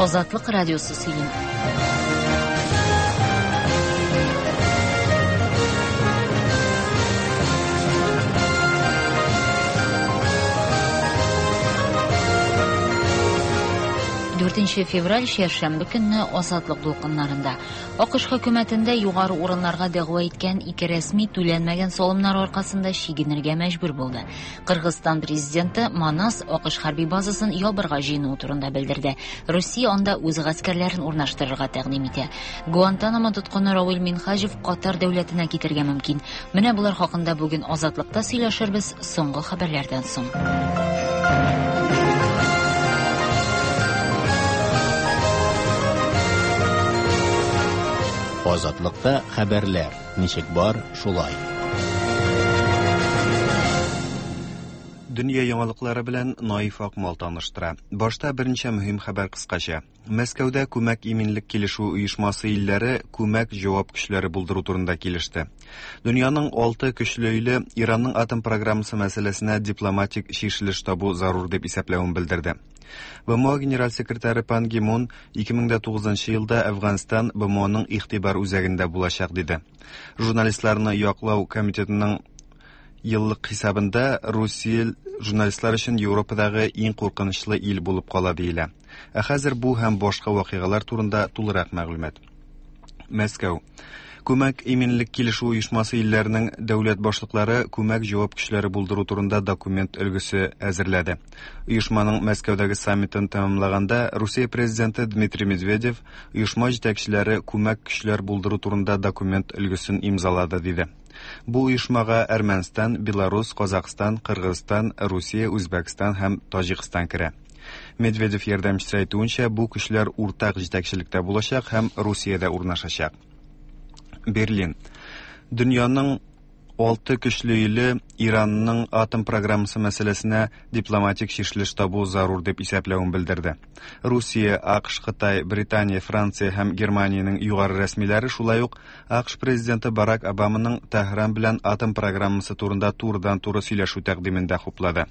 Азатлык радиосы сөйли. Дүртенче февраль чәршәмбе көнне Азатлык дулкыннарында. АКШ хөкүмәтендә югары урыннарга дәгъва иткән ике рәсми түләнмәгән салымнар аркасында чигенергә мәҗбүр булды. Кыргызстан президенты Манас АКШ хәрби базасын ябырга җыенуы турында белдерде. Русия анда үз гаскәрләрен урнаштырырга тәкъдим итә. Гуантанамо тоткыны Равил Минһаҗев Катар дәүләтенә китергә мөмкин. Менә болар хакында бүген Азатлыкта сөйләшербез соңгы хәбәрләрдән соң. Азатлыкта хәбәрләр ничек бар, шулай. Дөнья яңалыклары белән Наиф Акмал таныштыра. Башта берничә мөһим хәбәр кыскача. Мәскәүдә күмәк иминлек килешү оешмасы илләре күмәк җавап көчләре булдыру турында килеште. Дөньяның алты көчле иле Иранның атом программасы мәсьәләсенә дипломатик чишелеш табу зарур дип исәпләвен белдерде. БМО генераль секретаре Пан Ги Мун 2009 елда Әфганстан БМОның игътибар үзәгендә булачак диде. Журналистларны яклау комитетының еллык хисабында Русия журналистлар өчен Европадагы иң куркынычлы ил булып кала диелә. Ә хәзер бу һәм башка вакыйгалар турында тулырак мәгълүмат. Мәскәү. Күмәк иминлек килешү оешмасы илләренең дәүләт башлыклары күмәк җавап көчләре булдыру турында документ өлгесе әзерләде. Оешманың Мәскәүдәге саммитын тәмамлаганда Русия президенты Дмитрий Медведев оешма җитәкчеләре күмәк көчләр булдыру турында документ өлгесен имзалады диде. Бу оешмага Әрмәнстан, Беларус, Казахстан, Кыргызстан, Русия, Үзбәкстан һәм Таҗикстан керә. Медведев ярдәмчесе әйтүенчә, бу көчләр уртак җитәкчелектә булачак һәм Русиядә урнашачак. Берлин. Дөньяның алты көчле иле Иранның атом программасы мәсьәләсенә дипломатик чишелеш табу зарур дип исәпләвен белдерде. Русия, АКШ, Кытай, Британия, Франция һәм Германиянең югары рәсмиләре шулай ук АКШ президенты Барак Обаманың Тәһран белән атом программасы турында турыдан-туры сөйләшү тәкъдимен дә хуплады.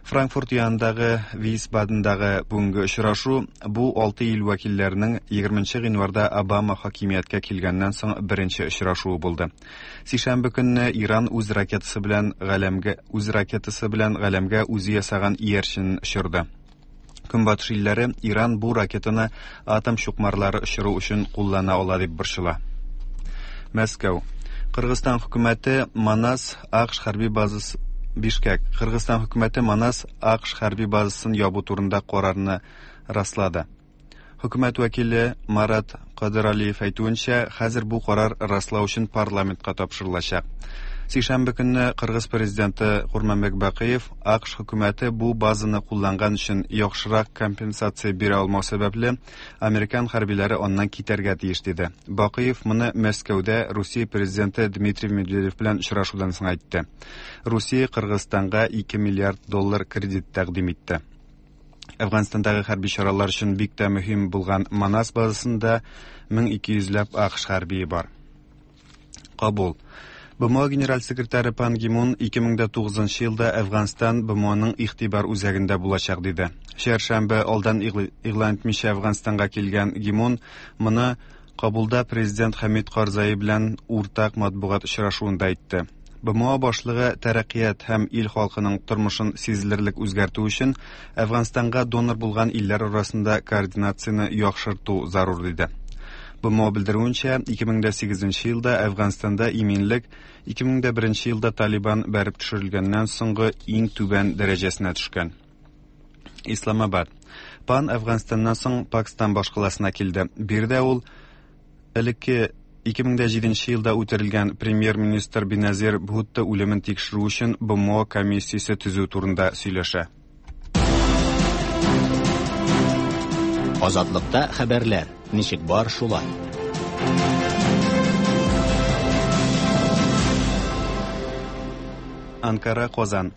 Франкфурт янындагы Висбадендагы бүгенге очрашу бу алты ил вәкилләренең 20 гыйнварда Обама хакимияткә килгәннән соң беренче очрашуы булды. Сишәмбе көнне Иран үз ракетасы белән галәмгә үз ракетасы белән галәмгә үзе ясаган иярченен очырды. Көнбатыш илләре Иран бу ракетаны атом чукмарлары очыру өчен куллана ала дип борчыла. Мәскәү. Кыргызстан хөкүмәте Манас АКШ хәрби базасы Бишкәк. Кыргызстан хөкүмәте Манас АКШ хәрби базасын ябу турында карарны раслады. Хөкүмәт вәкиле Марат Кадыралиев әйтүенчә, хәзер бу карар раслау өчен парламентка тапшырылачак. Сишәмбе көнне Кыргыз президенты Курманбек Бакыев АКШ хөкүмәте бу базаны кулланган өчен яхшырак компенсация бирә алмау сәбәпле, американ хәрбиләре аннан китәргә тиеш диде. Бакыев моны Мәскәүдә Русия президенты Дмитрий Медведев белән очрашудан соң әйтте. Русия Кыргызстанга 2 миллиард доллар кредит тәкъдим итте. Әфганстандагы хәрби чаралар өчен бик тә мөһим булган Манас базасында 1200 ләп АКШ хәрбие бар. Кабул. БМО генераль секретаре Пан Ги Мун 2009 елда Әфганстан БМОның игътибар үзәгендә булачак диде. Чәршәмбе алдан игълан итмичә Әфганстанга килгән Ги Мун моны Кабулда президент Хәмид Карзаи белән уртак матбугат очрашуында әйтте. БМО башлыгы тәрәккыят һәм ил халкының тормышын сизелерлек үзгәртү өчен Әфганстанга донор булган илләр арасында координацияне яхшырту зарур диде. БМО белдерүенчә, 2008 елда Әфганстанда иминлек 2001 елда Талибан бәреп төшерелгәннән соңгы иң түбән дәрәҗәсенә төшкән. Исламабад. Пан Әфганстаннан соң Пакстан башкаласына килде. Биредә ул элекке 2007 елда үтерелгән премьер-министр Беназир Бхутто үлемен тикшерү өчен БМО комиссиясе төзү турында сөйләшә. Азатлыкта хәбәрләр ничек бар шулай. Анкара, Казан.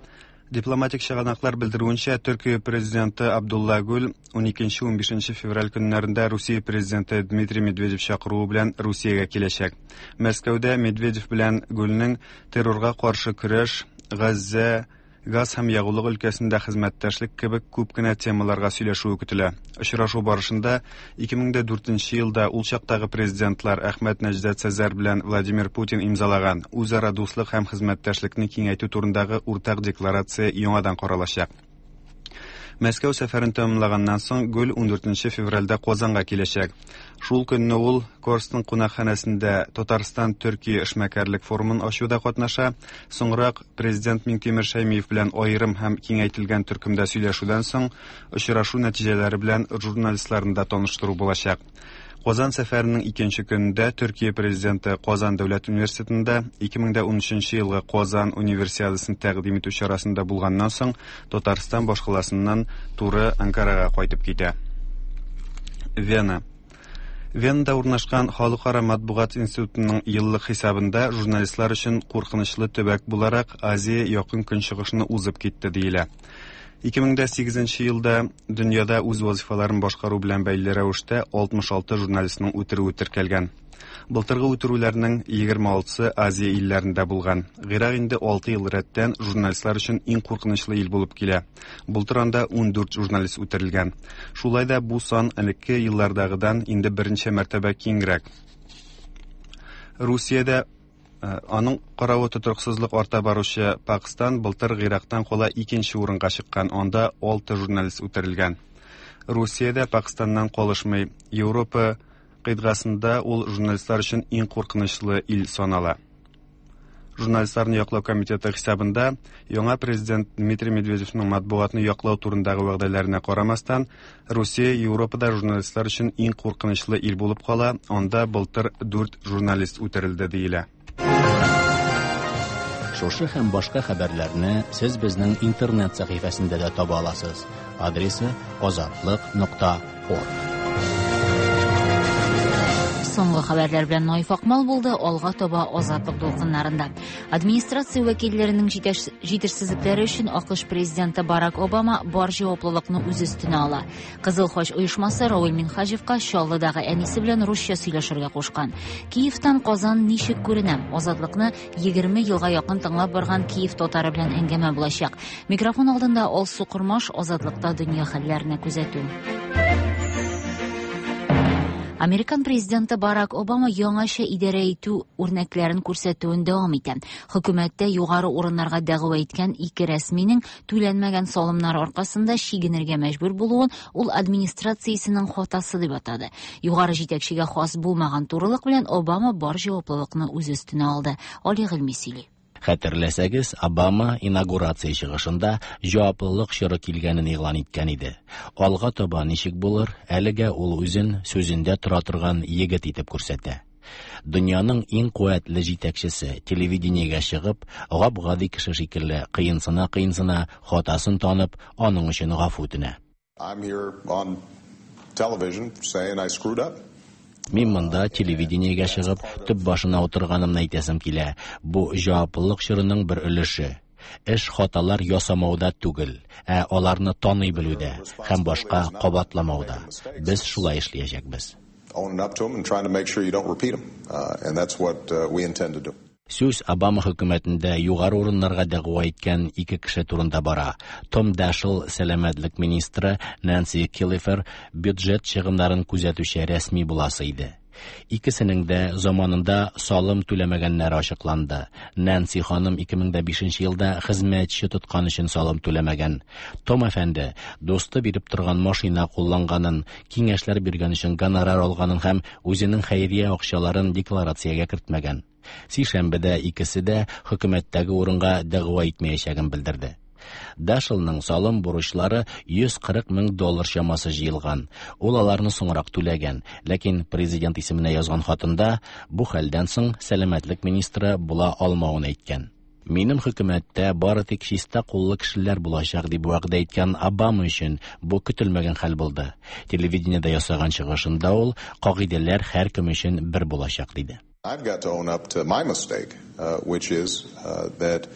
Дипломатик чыганаклар белдерүенчә, Төркия президенты Абдулла Гүл 12-15 февраль көннәрендә Русия президенты Дмитрий Медведев чакыруы белән Русиягә киләчәк. Мәскәүдә Медведев белән Гүлнең террорга каршы көрәш, Газзә Газ һәм ягулык өлкәсендә хезмәттәшлек кебек күп кенә темаларга сөйләшүе көтелә. Очрашу барышында 2004 елда ул чактагы президентлар Әхмәт Нәҗдәт Сәзәр белән Владимир Путин имзалаган үзара дуслык һәм хезмәттәшлекне киңәйтү турындагы уртак декларация яңадан каралачак. Мәскәү сәфәрен тәмамлаганнан соң Гүл 14 февральдә Казанга киләчәк. Шул көнне ул Корстон кунакханәсендә Татарстан Төркия эшмәкәрлек форумын ачуда катнаша. Соңрак президент Миңтимер Шәймиев белән аерым һәм киңәйтелгән төркемдә сөйләшүдән соң очрашу нәтиҗәләре белән журналистларны да таныштыру булачак. Казан сәфәренең икенче көнендә Төркия президенты Казан дәүләт университетында 2013 елгы Казан универсиадасын тәкъдим итү чарасында булганнан соң Татарстан башкаласыннан туры Анкарага кайтып китә. Вена. Венада урнашкан Халыкара матбугат институтының еллык хисабында журналистлар өчен куркынычлы төбәк буларак Азия Якын Көнчыгышны узып китте диелә. 2008 елда дөньяда үз вазифаларын башкару белән бәйле рәвештә 66 журналистның үтерүе теркәлгән. Былтыргы үтерүләрнең 26-сы Азия илләрендә булган. Гыйрак инде 6 ел рәттән журналистлар өчен иң куркынычлы ил булып килә. Былтыр анда 14 журналист үтерелгән. Шулай да бу сан элекке еллардагыдан инде берничә мәртәбә киңрәк. Русиядә аның каравы тотрыксызлык арта баручы Пакстан былтыр Гыйрактан кала икенче урынга чыккан, анда 6 журналист үтерелгән. Русия дә Пакстаннан калышмый. Европа кыйтгасында ул журналистлар өчен иң куркынычлы ил санала. Журналистларны яклау комитеты хисабында яңа президент Дмитрий Медведевның матбугатны яклау турындагы вәгъдәләренә карамастан, Русия Европада журналистлар өчен иң куркынычлы ил булып кала, анда былтыр 4 журналист үтерелде диелә. Шушы һәм башка хәбәрләрне сез безнең интернет сәхифәсендә дә таба аласыз. Адресы azatliq.org. Соңгы хәбәрләр белән Наиф Акмал булды, алга таба Азатлык дулкыннарында. Администрация вәкилләренең җитешсезлекләре өчен АКШ президенты Барак Обама бар җаваплылыкны үз өстенә ала. Кызыл Хач оешмасы Рауль Минһаҗевка Чаллыдагы әнисе белән русча сөйләшергә кушкан. Киевтан Казан ничек күренә? Азатлыкны 20 елга якын тыңлап барган Киев татары белән әңгәмә булачак. Микрофон алдында Алсу Кормаш, Азатлыкта дөнья хәлләренә күзәтү. Американ президенты Барак Обама яңача идарә итү үрнәкләрен күрсәтүен дәвам итә. Хөкүмәттә югары урыннарга дәгъва иткән ике рәсминең түләнмәгән салымнар аркасында чигенергә мәҗбүр булуын ул администрациясенең хатасы дип атады. Югары җитәкчегә хас булмаган турылык белән Обама бар җаваплылыкны үз өстенә алды. Али Гыйльми сөйли. Хәтерләсәгез, Обама инаугурация чыгышында җаваплылык чоры килгәнен игълан иткән иде. Алга таба ничек булыр, әлегә ул үзен сүзендә тора торган егет итеп күрсәтә. Дөньяның иң куәтле җитәкчесе телевидениегә чыгып, гап-гади кеше шикелле кыенсына-кыенсына хатасын танып, аның өчен гафу үтенә. I'm here on television saying I screwed up. Мин монда телевидениегә чыгып, төп башына утырганымны әйтәсем килә. Бу җаваплылык чорының бер өлеше. Эш хаталар ясамауда түгел, ә аларны таный белүдә һәм башка кабатламауда. Без шулай эшләячәкбез. Owning up to them and trying to make sure you don't repeat them. And that's what we intend to do. Сүз Обама хөкүмәтендә югары урыннарга дәгъва иткән ике кеше турында бара. Том Дашел сәламәтлек министры, Нэнси Киллифер бюджет чыгымнарын күзәтүче рәсми буласы иде. Икесенең дә заманында салым түләмәгәннәре ачыкланды. Нэнси ханым 2005 елда хезмәтче тоткан өчен салым түләмәгән. Том әфәнде дусты биреп торган машина кулланганын, киңәшләр биргән өчен гонорар алганын һәм үзенең хәйрия акчаларын декларациягә кертмәгән. Сишәмбедә икесе дә хөкүмәттәге урынга дәгъва итмәячәген белдерде. Дашелның салым бурычлары 140 мең доллар чамасы җыелган. Ул аларны соңрак түләгән, ләкин президент исеменә язган хатында бу хәлдән соң сәламәтлек министры була алмавын әйткән. Минем хөкүмәттә бары тик чиста куллы кешеләр булачак дип вәгъдә иткән Обама өчен бу көтелмәгән хәл булды. Телевидениедә ясаган чыгышында ул кагыйдәләр һәркем өчен бер булачак диде. I've got to own up to my mistake, which is that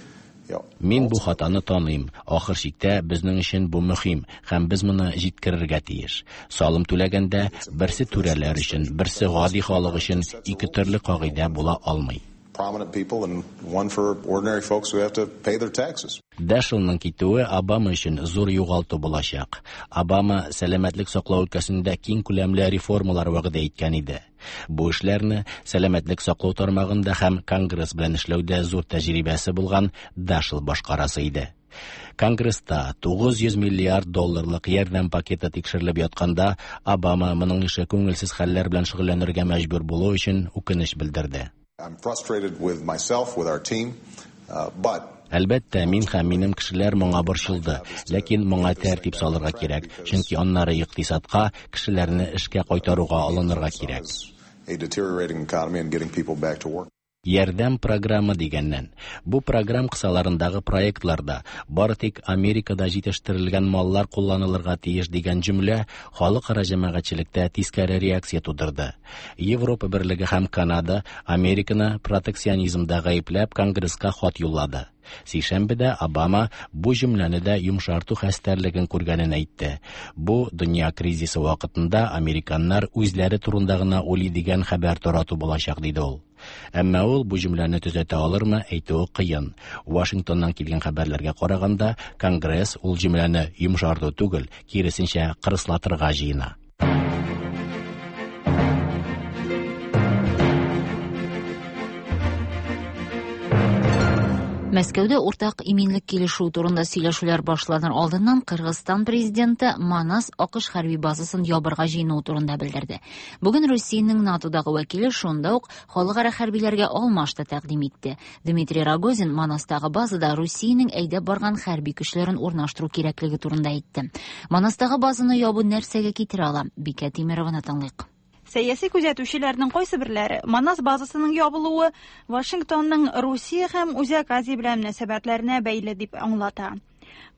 Мин бу хатаны таныйм. Ахыр чиктә безнең өчен бу мөһим һәм без моны җиткерергә тиеш. Салым түләгәндә берсе түрәләр өчен, берсе гади халык өчен ике төрле кагыйдә була алмый. prominent people and one for ordinary folks who have to pay their taxes. Дашелның китүе Обама өчен зур югалту булачак. Обама сәламәтлек саклау өлкәсендә киң күләмле реформалар вәгъдә иткән иде. Бу эшләрне сәламәтлек саклау тармагында һәм Конгресс белән эшләүдә зур тәҗрибәсе булган Дашел башкарасы иде. Конгресста 900 миллиард долларлык ярдәм пакеты тикшерелеп ятканда, Обама моның ише күңелсез хәлләр белән шөгыльләнергә мәҗбүр булу өчен үкенеч белдерде. I'm frustrated with myself, with our team, but Әлбәттә, мин һәм минем кешеләр моңа борчылды, ләкин моңа тәртип салырга кирәк, чөнки аннары икътисадка, кешеләрне эшкә кайтаруга алынырга кирәк. A deteriorating economy and getting people back to work. Ярдәм программы дигәннән, бу программ кысаларындагы проектларда бары тик Америкада җитештерелгән маллар кулланылырга тиеш дигән җөмлә халыкара җәмәгатьчелектә тискәре реакция тудырды. Европа Берлеге һәм Канада Американы протекционизмда гаепләп Конгресска хат юллады. Сишәмбедә Обама бу җөмләне дә йомшарту хәстәрлеген күргәнен әйтте. Бу дөнья кризисы вакытында американнар үзләре турында гына уйлый дигән хәбәр тарату булачак, диде ул. Әмма ул бу җөмләне төзәтә алырмы, әйтүе кыен. Вашингтоннан килгән хәбәрләргә караганда, Конгресс ул җөмләне йомшарту түгел, киресенчә кырыслатырга җыена. Мәскәүдә уртак иминлек килешүе турында сөйләшүләр башланыр алдыннан Кыргызстан президенты Манас АКШ хәрби базасын ябырга җыенуы турында белдерде. Бүген Русиянең НАТОдагы вәкиле шунда ук халыкара хәрбиләргә алмаш та тәкъдим итте. Дмитрий Рогозин Манастагы базада Русиянең әйдәп барган хәрби көчләрен урнаштыру кирәклеге турында әйтте. Манастагы базаны ябу нәрсәгә китерә ала? Бикә Тимерованы тыңлыйк. Сәяси күзәтүчеләрнең кайсы берләре Манас базасының ябылуы Вашингтонның Русия һәм Үзәк Азия белән мөнәсәбәтләренә бәйле дип аңлата.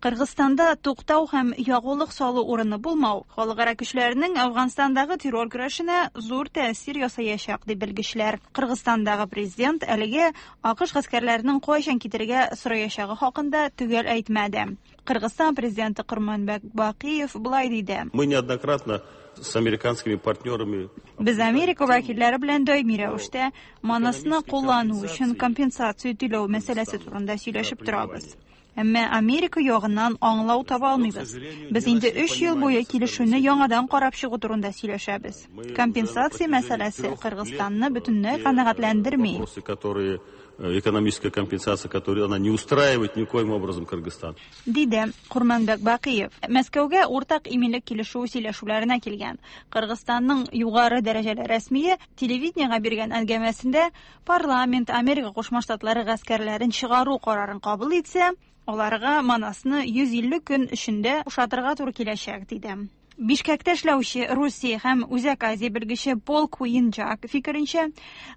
Кыргызстанда туктау һәм ягулык салу урыны булмау халыкара көчләренең Әфганстандагы террор көрәшенә зур тәэсир ясаячак дип белгечләр. Кыргызстандагы президент әлегә АКШ гаскәрләренең кайчан китергә сораячагы хакында төгәл әйтмәде. Кыргызстан президенты Курманбек Бакиев болай диде. Мы неоднократно с американскими партнерами Без Америка вәкилләре белән даими рәвештә Манасны куллану өчен компенсация түләү мәсьәләсе турында сөйләшеп торабыз. Әмма Америка ягыннан аңлау таба алмыйбыз. Без инде 3 ел буе килешүне яңадан карап чыгу турында сөйләшәбез. Компенсация мәсьәләсе Кыргызстанны бөтенләй канәгатьләндерми. Вопросы, которые экономическая компенсация, которую она не устраивает никоим образом Кыргызстан. Диде Курманбек Бакиев. Мәскәүгә уртак иминлек килешүе сөйләшүләренә килгән Кыргызстанның югары дәрәҗәле рәсмие телевидениегә биргән әңгәмәсендә парламент Америка Кушма Штатлары гаскәрләрен чыгару карарын кабул итсә, аларга Манасны 150 көн эчендә бушатырга туры киләчәк, диде. Бишкәктә эшләүче Русия һәм Үзәк Азия белгече Пол Куинджак фикеренчә,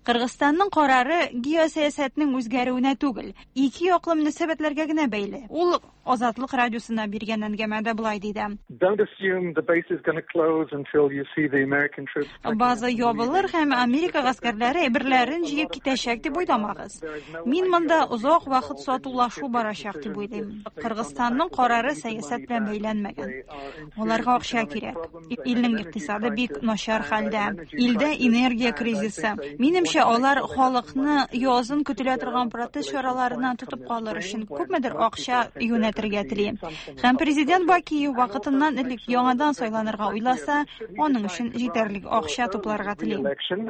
Кыргызстанның карары геосәясәтнең үзгәрүенә түгел, ике яклы мөнәсәбәтләргә генә бәйле. Ул Азатлык радиосына биргән әңгәмәдә болай диде. Don't assume the base is going to close until you see the American troops. База ябылыр һәм Америка гаскәрләре әйберләрен җыеп китәчәк дип уйламагыз. Мин монда озак вакыт сатулашу барачак дип уйлыйм. Кыргызстанның карары сәясәт белән бәйләнмәгән. Аларга акча кирәк. Илнең икътисады бик начар хәлдә. Илдә энергия кризисы. Минемчә, алар халыкны язын көтелә торган протест чараларыннан тотып калыр өчен күпмедер акча юнәтергә тели. Һәм президент Бакиев вакытыннан элек яңадан сайланырга уйласа, аның өчен җитәрлек акча тупларга тели.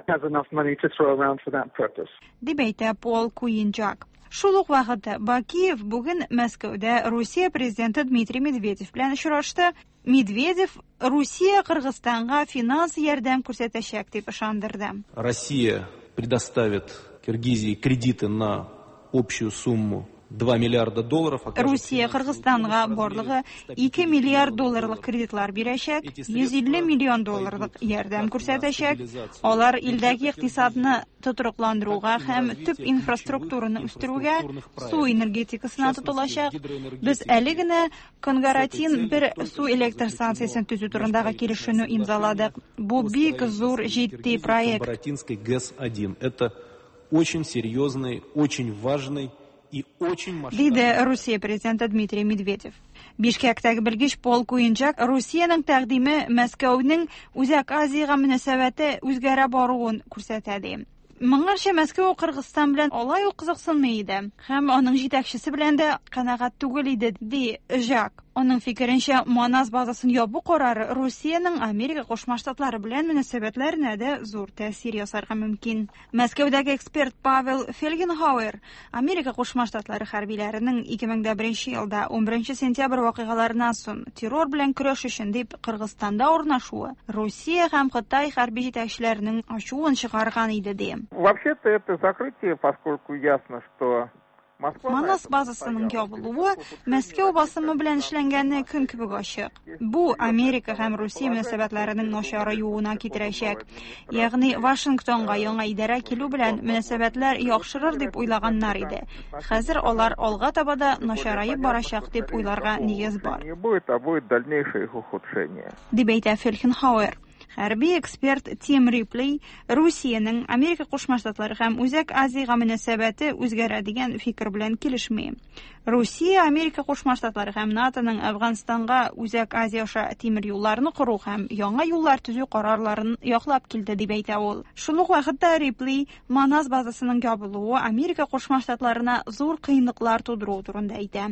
Has enough money to throw around for that purpose. Дип әйтә Пол Куинджак. Шул ук вакытта Бакиев бүген Мәскәүдә Русия президенты Дмитрий Медведев белән очрашты. Медведев Русия Кыргызстанга финанс ярдәм күрсәтәчәк дип ышандырды. Россия предоставит Киргизии кредиты на общую сумму 2 миллиарда долларов. Русия Кыргызстанга барлыгы 2 миллиард долларлык кредитлар бирәчәк, 150 миллион долларлык ярдәм күрсәтәчәк. Алар илдәге икътисадны тотрыкландыруга һәм төп инфраструктураны үстерүгә, су энергетикасына тотылачак. Без әле генә Конгаратин бер су электр станциясен төзү турындагы килешүне имзаладык. Бу бик зур җитди проект. Конгаратинской ГЭС-1. Это очень серьезный, очень важный и очень масштабный. Диде Русия президенты Дмитрий Медведев. Бишкәктәге белгеч Пол Куинджак Русиянең тәкъдиме Мәскәүнең Үзәк Азиягә мөнәсәбәте үзгәрә баруын күрсәтә ди. Моңарчы Мәскәү Кыргызстан белән алай ук кызыксынмый иде һәм аның җитәкчесе белән дә канәгать түгел иде, ди Жак. Аның фикеренчә, Манас базасын ябу карары Русиянең Америка Кушма Штатлары белән мөнәсәбәтләренә дә зур тәэсир ясарга мөмкин. Мәскәүдәге эксперт Павел Фельгенхауэр Америка Кушма Штатлары хәрбиләренең 2001 елда 11 сентябрь вакыйгаларыннан соң террор белән көрәш өчен дип Кыргызстанда урнашуы Русия һәм Кытай хәрби җитәкчеләренең ачуын чыгарган иде, ди. Вообще-то это закрытие, поскольку ясно, что Манас базасының ябылуы Мәскәү басымы белән эшләнгәне көн кебек ачык. Бу Америка һәм Русия мөнәсәбәтләренең начараюына китерәчәк. Ягъни Вашингтонга яңа идарә килү белән мөнәсәбәтләр яхшырыр дип уйлаганнар иде. Хәзер алар алга таба да начараеп барачак дип уйларга нигез бар. Не будет, а будет дальнейшее их ухудшение. Дип әйтә Фельхенхауэр. Хәрби эксперт Тим Рипли Русиянең Америка Кушма Штатлары һәм Үзәк Азиягә мөнәсәбәте үзгәрә дигән фикер белән килешми. Русия Америка Кушма Штатлары һәм НАТОның Әфганстанга Үзәк Азия аша тимер юлларны кору һәм яңа юллар төзү карарларын яклап килде, дип әйтә ул. Шул ук вакытта Рипли Манас базасының ябылуы Америка Кушма Штатларына зур кыенлыклар тудыруы турында әйтә.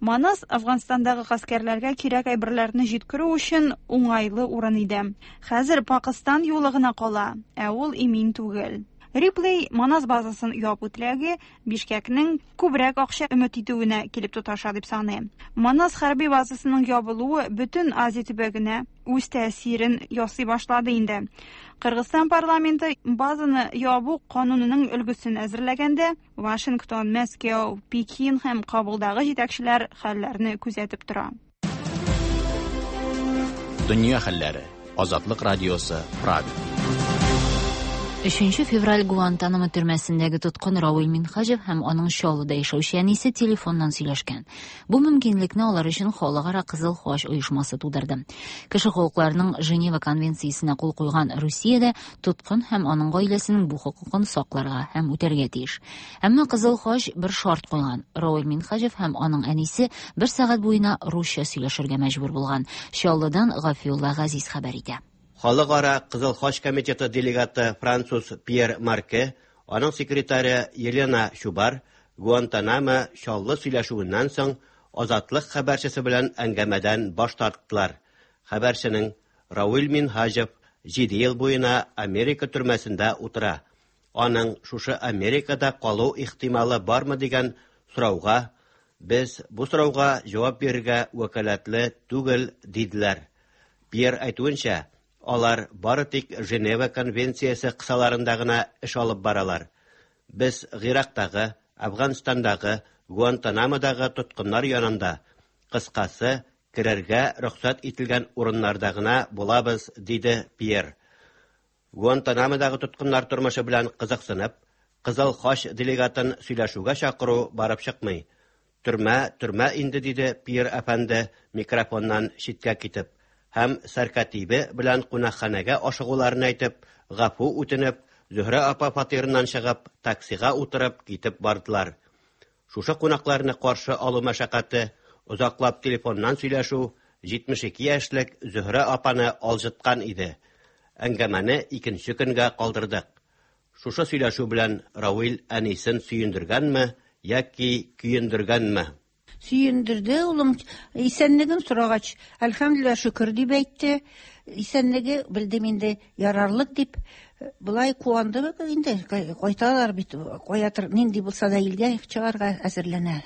Манас Әфганстандагы гаскәрләргә кирәк әйберләрне җиткерү өчен уңайлы урын иде. Хәзер Пакыстан юлы гына кала, ә ул имин түгел. Риплей Манас базасын ябу теләге Бишкәкнең күбрәк акча өмет итүенә килеп тоташа дип саный. Манас хәрби базасының ябылуы бөтен Азия төбәгенә үз тәэсирен ясый башлады инде. Кыргызстан парламенты базаны ябу канунының өлгесен әзерләгәндә, Вашингтон, Мәскәү, Пекин һәм Кабулдагы җитәкчеләр хәлләрне күзәтеп тора. Дөнья хәлләре. Азатлык радиосы, Прага. 3 февраль Гуантанамо төрмәсендәге тоткын Равил Минһаҗев һәм аның Чаллыда яшәүче әнисе телефоннан сөйләшкән. Бу мөмкинлекне алар өчен Халыкара Кызыл Хач оешмасы тудырды. Кеше хокукларының Женева конвенциясенә кул куйган Русия дә тоткын һәм аның гаиләсенең бу хокукын сакларга һәм үтәргә тиеш. Әмма Кызыл Хач бер шарт куйган. Равил Минһаҗев һәм аның әнисе бер сәгать буена русча сөйләшергә мәҗбүр булган. Чаллыдан Гафиулла Газиз хәбәр итә. Халыкара Кызыл Хач комитеты делегаты француз Пьер Марке, аның секретаре Елена Чубар Гуантанамо Чаллы сөйләшүеннән соң Азатлык хәбәрчесе белән әңгәмәдән баш тарттылар. Хәбәрченең Равил Минһаҗев 7 ел буена Америка төрмәсендә утыра. Аның шушы Америкада калу ихтималы бармы дигән сорауга без бу сорауга җавап бирергә вәкаләтле түгел диделәр. Пьер әйтүенчә, алар бары тик Женева конвенциясе кысаларында гына эш алып баралар. Без Гыйрактагы, Әфганстандагы, Гуантанамодагы тоткыннар янында, кыскасы, керергә рөхсәт ителгән урыннарда гына булабыз, диде Пьер. Гуантанамодагы тоткыннар тормышы белән кызыксынып, Кызыл Хач делегатын сөйләшүгә чакыру барып чыкмый. Төрмә, төрмә инде, диде Пьер әфәнде микрофоннан читкә китеп, һәм сәркатибе белән кунакханәгә ашыгуларын әйтеп, гафу үтенеп, Зөһрә апа фатирыннан чыгып, таксига утырып китеп бардылар. Шушы кунакларны каршы алу мәшәкате, озаклап телефоннан сөйләшү 72 яшьлек Зөһрә апаны алҗыткан иде. Әңгәмәне икенче көнгә калдырдык. Шушы сөйләшү белән Равил әнисен сөендергәнме яки көендергәнме? Сөендерде улым, исәнлеген сорагач, әлхәмдүлилләһ шөкер дип әйтте. Исәнлеге белдем инде ярарлык дип. Болай куанды инде, кайталар бит, каятыр нинди булса да илгә чыгарга әзерләнә.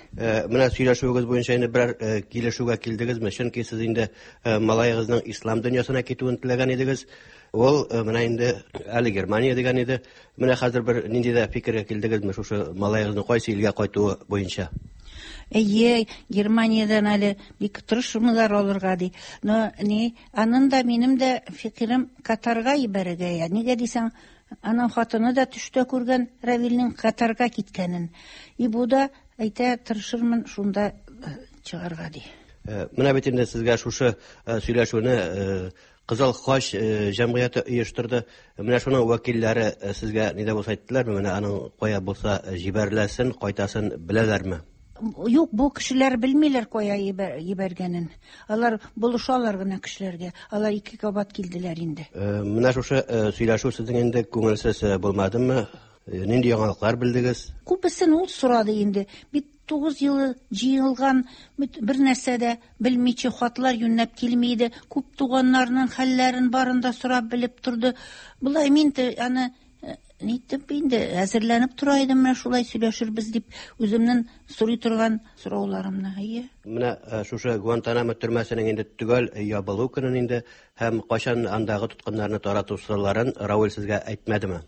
Менә сөйләшүегез буенча инде берәр килешүгә килдегезме? Чөнки сез инде малаегызның ислам дөньясына китүен теләгән идегез. Ул менә инде әле Германия дигән иде. Менә хәзер бер нинди дә фикергә килдегезме шушы малаегызның кайсы илгә кайтуы буенча? Әйе, Германиядән әле бик тырышмыйлар алырга ди. Но ни, анын да минем дә фикерем Катарга ибәрергә я. Нигә дисәң, аның хатыны да төштә күргән Равилнең Катарга киткәнен. И бу да әйтә, тырышырмын шунда чыгарга ди. Менә бит инде сезгә шушы сөйләшүне Кызыл Хач җәмгыяте оештырды. Менә шуның вәкилләре сезгә ни дә булса әйттеләрме? Менә аның кая булса җибәреләсен, кайтасын беләләрме? Юк, бу кешеләр белмиләр кая җибәргәнен. Алар булышалар гына кешеләргә. Алар ике кабат килделәр инде. Менә шушы сөйләшү сезнең инде күңелсез булмадымы? Нинди яңалыклар белдегез? Күбесен ул сорады инде. Бит 9 ел җыелган бер нәрсә дә белмичә хатлар юньләп килми иде. Күп туганнарының хәлләрен барын да сорап белеп торды. Болай мин аны нитеп инде әзерләнеп тора идем, менә шулай сөйләшербез дип үземнең сорый торган сорауларымны. Әйе. Менә шушы Гуантанамо төрмәсенең инде төгәл ябылу көнен инде һәм кайчан андагы тоткыннарны тарату сырларын Равил сезгә әйтмәдеме?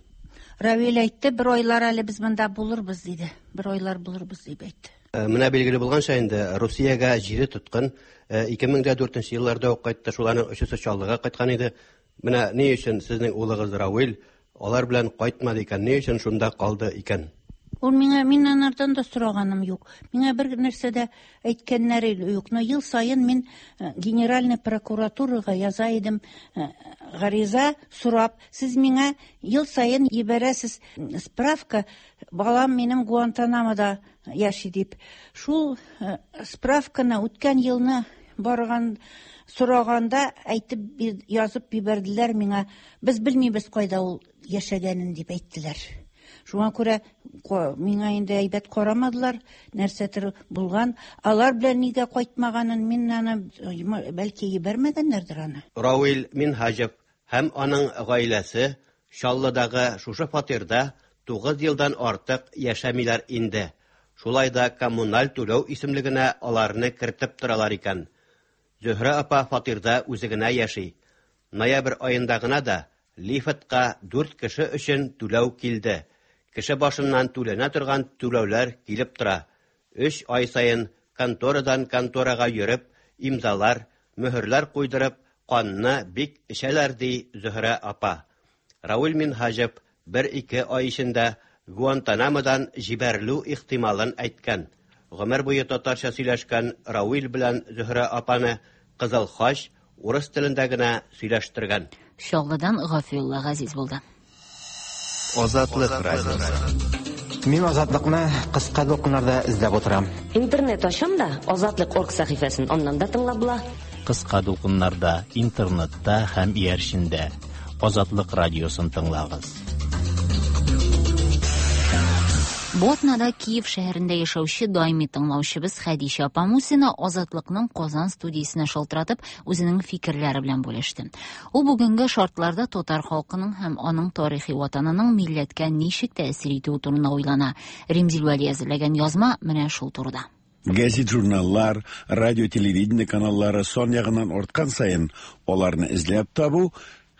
Равил әйтте, бер айлар әле без монда булырбыз диде. Бер айлар булырбыз дип әйтте. Менә билгеле булганча инде Русиягә җиде тоткын 2004 елларда ук кайтты, шуларның өчесе Чаллыга кайткан иде. Менә ни өчен сезнең улыгыз Равил алар белән кайтмады икән, ни өчен шунда калды икән? Ул миңа, мин анардан да сораганым юк. Миңа бер нәрсә дә әйткәннәре юк. Но ел саен мин Генеральный прокуратурага яза идем гариза сорап, сез миңа ел саен җибәрәсез справка, балам минем Гуантанамода яши дип. Шул справканы үткән елны барган сораганда әйтеп язып җибәрделәр миңа. Без белмибез кайда ул яшәгәнен дип әйттеләр. Шуңа күрә миңа инде әйбәт карамадылар, нәрсәдер булган. Алар белән нигә кайтмаганын мин аны бәлки җибәрмәгәннәрдер аны. Равил Минһаҗев һәм аның гаиләсе Чаллыдагы шушы фатирда 9 елдан артык яшәмиләр инде. Шулай да коммуналь түләү исемлегенә аларны кертеп торалар икән. Зөһрә апа фатирда үзе генә яши. Ноябрь аенда гына да лифтка 4 кеше өчен түләү килде. Кеше башыннан түләнә торган түләүләр килеп тора. 3 ай саен конторадан конторага йөреп, имзалар, мөһерләр куйдырып, канны бик эчәләр, ди Зөһрә апа. Равил Минһаҗев 1-2 ай эчендә Гуантанамодан җибәрелү ихтималын әйткән. Гомер буе татарча сөйләшкән Равил белән Зөһрә апаны Кызыл Хач урыс телендә генә сөйләштергән. Чаллыдан Гафиулла Газиз булды. Азатлык радиосы. Мин Азатлыкны кыска дулкыннарда эзләп утырам. Интернет ачам да, Азатлык.орг сәхифәсен аннан да тыңлап була. Кыска дулкыннарда, интернетта һәм иярчендә Азатлык радиосын тыңлагыз. Бу атнада Киев шәһәрендә яшәүче даими тыңлаучыбыз Хәдичә апа Мусина Азатлыкның Казан студиясенә шалтыратып, үзенең фикерләре белән бүлеште. Ул бүгенге шартларда татар халкының һәм аның тарихи ватанының милләткә ничек тәэсир итүе турында уйлана. Римзил Вәли әзерләгән язма менә шул турыда. Газет-журналлар, радио-телевидение каналлары сан ягыннан арткан саен аларны эзләп табу,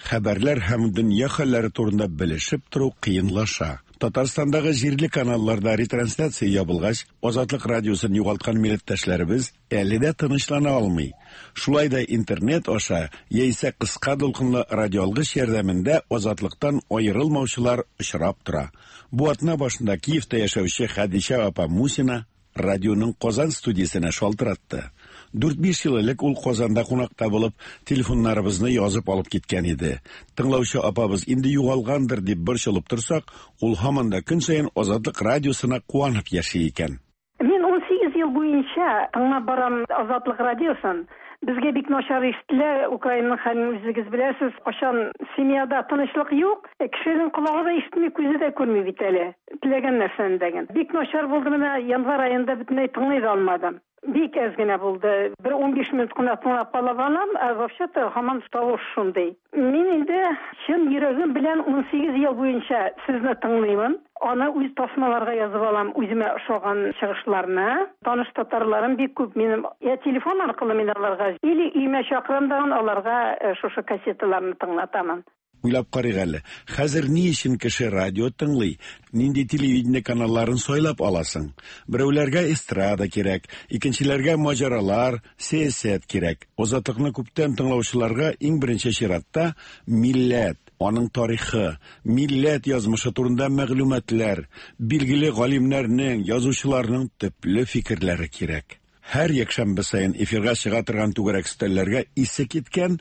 хәбәрләр һәм дөнья хәлләре турында белешеп тору кыенлаша. Татарстандагы җирле каналларда ретрансляция ябылгач, Азатлык радиосын югалткан милләттәшләребез әле дә тынычлана алмый. Шулай да интернет аша яисә кыска дулкынлы радиоалгыч ярдәмендә Азатлыктан аерылмаучылар очрап тора. Бу атна башында Киевта яшәүче Хәдичә апа Мусина радионың Казан студиясенә шалтыратты. 4-5 ел элек ул Казанда кунакта булып, телефоннарыбызны язып алып киткән иде. Тыңлаучы апабыз инде югалгандыр дип борчылып торсак, ул һаман да көн саен Азатлык радиосына куанып яши икән. Мин 18 ел буенча тыңлап барам Азатлык радиосын. Безгә бик начар ишетелә, Украинаның хәлен үзегез беләсез. Кайчан семьяда тынычлык юк, кешенең колагы да ишетми, күзе дә күрми бит әле. Теләгән нәрсәне дәген. Бик начар булды менә январь аенда бөтенләй тыңлый да алмадым. Бик әз генә булды. Бер 15 минут кына тыңлап кала алам, ә вообще-то һаман тавыш шундый. Мин инде чын йөрәгем белән 18 ел буенча сезне тыңлыймын. Аны үз тасмаларга язып алам, үземә ошаган чыгышларны. Таныш татарларым бик күп минем. Я телефон аркылы мин аларга или өймә чакырам дагын аларга шушы кассеталарны тыңлатамын. Уйлап карыйк әле. Хәзер ни өчен кеше радио тыңлый? Нинди телевидение каналларын сайлап аласың? Берәүләргә эстрада кирәк, икенчеләргә маҗаралар, сәясәт кирәк. Азатлыкны күптән тыңлаучыларга иң беренче чиратта милләт, аның тарихы, милләт язмышы турында мәгълүматлар, билгеле галимнәрнең, язучыларның төпле фикерләре кирәк. Һәр якшәмбе саен эфирга чыга торган түгәрәк өстәлләргә исе киткән,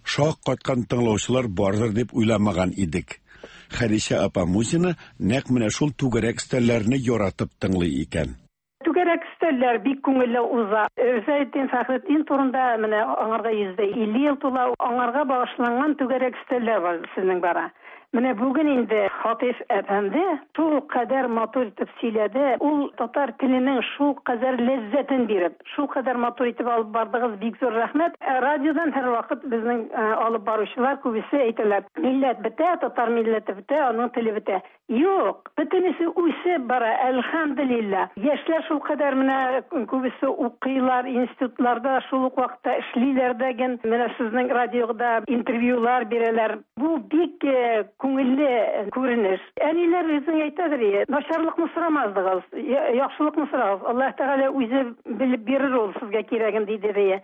шак каткан тыңлаучылар бардыр дип уйламаган идек. Хәдичә апа Мусина нәкъ менә шул түгәрәк өстәлләрне яратып тыңлый икән. Түгәрәк өстәлләр бик күңелле уза. Ризаэддин Фәхретдин турында менә аңарга 150 ел тула, аңарга багышланган түгәрәк өстәлләр бар сезнең бара. Менә бүген инде Хатыйф әфәнде шул кадәр матур итеп сөйләде. Ул татар теленең шул кадәр ләззәтен биреп, шул кадәр матур итеп алып бардыгыз, бик зур рәхмәт. Ә радиодан һәрвакыт безнең алып баручылар күбесе әйтәләр, милләт бетә, татар милләте бетә, аның теле бетә. Юк, бөтенесе үсеп бара, әлхәмделилла. Яшьләр шул кадәр менә күбесе укыйлар, институтларда шул ук вакытта эшлиләр дә ген. Менә сезнең радиода интервьюлар бирәләр. Бу бик күңелле күренеш. Әниләр безнең әйтәдер, начарлыкны сорамаздыгыз, яхшылыкны сорагыз. Аллаһ Тәгалә үзе белеп бирер ул сезгә кирәген, диде дия.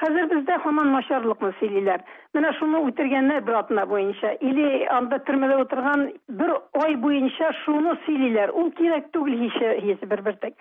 Хәзер бездә һаман начарлыкны сөйлиләр. Менә шуны үтергәннәр бер атна буенча. Или анда төрмәдә утырган бер ай буенча шуны сөйлиләр. Ул кирәк түгел һич, һич бер бертек.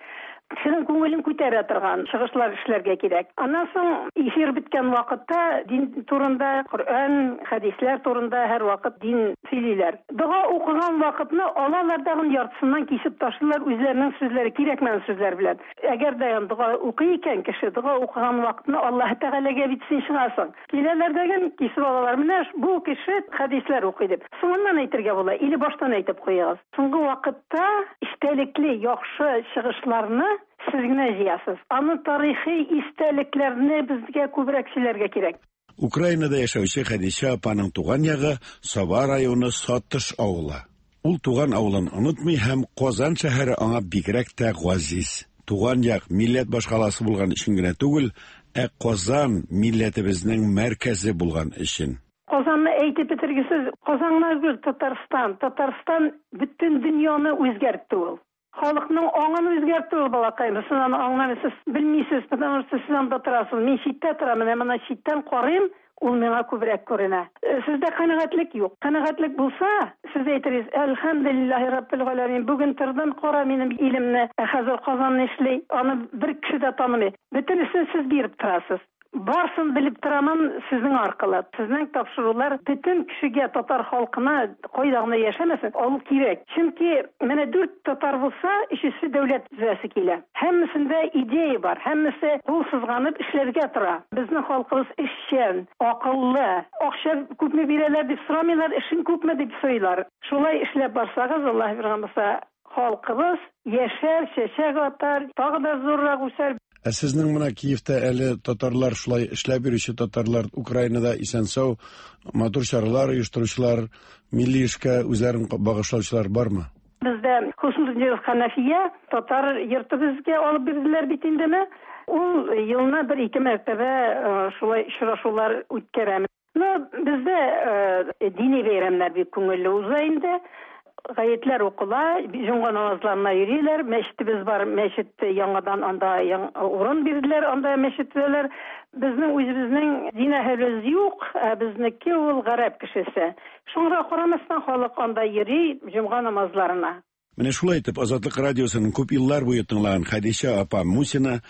Кешенең күңелен күтәрә торган чыгышлар эшләргә кирәк. Аннан соң эфир беткән вакытта дин турында, Коръән, хәдисләр турында һәрвакыт дин сөйлиләр. Дога укыган вакытны алалар дагын яртысыннан кисеп ташлыйлар үзләренең сүзләре, кирәкмәгән сүзләр белән. Әгәр дә дога укый икән кеше, дога укыган вакытны Аллаһы Тәгаләгә бит син чыгасың. Киләләр дә кисеп алалар. Менә бу кеше хәдисләр укый дип. Соңыннан әйтергә була, или баштан әйтеп куегыз. Соңгы вакытта истәлекле яхшы чыгышларны сез генә җыясыз. Аны тарихи истәлекләрне безгә күбрәк сөйләргә кирәк. Украинада яшәүче Хәдичә апаның туган ягы Саба районы Сатыш авылы. Ул туган авылын онытмый һәм Казан шәһәре аңа бигрәк тә газиз. Туган як милләт башкаласы булган өчен генә түгел, ә Казан милләтебезнең мәркәзе булган өчен. Казанны әйтеп бетергесез. Казан гына түгел, Татарстан. Татарстан бөтен дөньяны үзгәртте ул. Халыкның аңын үзгәртте ул, балакаем. Сез аны аңламыйсыз, белмисез, потому что сез анда торасыз. Мин читтә торам, менә моны читтән карыйм, ул миңа күбрәк күренә. Сездә канәгатьлек юк. Канәгатьлек булса, сез әйтерсез, Әлхәмдүлиллаһи раббил галәмин, бүген тордым, кара минем илемне, ә хәзер Казан нишли, аны бер кеше дә танымый. Бөтенесен сез биреп торасыз. Барсын белеп торамын сезнең аркылы. Сезнең тапшырулар бөтен кешегә, татар халкына, кайда гына яшәмәсен, алу кирәк. Чөнки менә дүрт татар булса, өчесе дәүләт төзәсе килә. Һәммәсендә идея бар, һәммәсе кул сызганып эшләргә тора. Безнең халкыбыз эшчән, акыллы. Акча күпме бирәләр дип сорамыйлар, эшең күпме дип сорыйлар. Шулай эшләп барсагыз, Аллаһ биргән булса, халкыбыз яшәр, чәчәк атар, тагы да зуррак үсәр. Ә сезнең менә Киевта әле татарлар шулай эшләп йөрүче татарлар, Украинада исән-сау матур чаралар оештыручылар, милли эшкә үзләрен багышлаучылар бармы? Бездә Хуснутдинов Ханафия татар йорты безгә алып бирделәр бит индеме. Ул елына бер-ике мәртәбә шулай очрашулар үткәрә. Ну, бездә дини бәйрәмнәр бик күңелле уза инде. Гаетләр укыла, җомга намазларына йөриләр. Мәчетебез бар, мәчет яңадан анда урын бирделәр, анда мәчет төзәләр. Безнең үзебезнең дин әһелебез юк, ә безнеке ул гарәп кешесе. Шуңа карамастан халык анда йөри җомга намазларына. Менә шулай итеп Азатлык радиосының күп еллар буе тыңлаган Хәдичә апа Мусина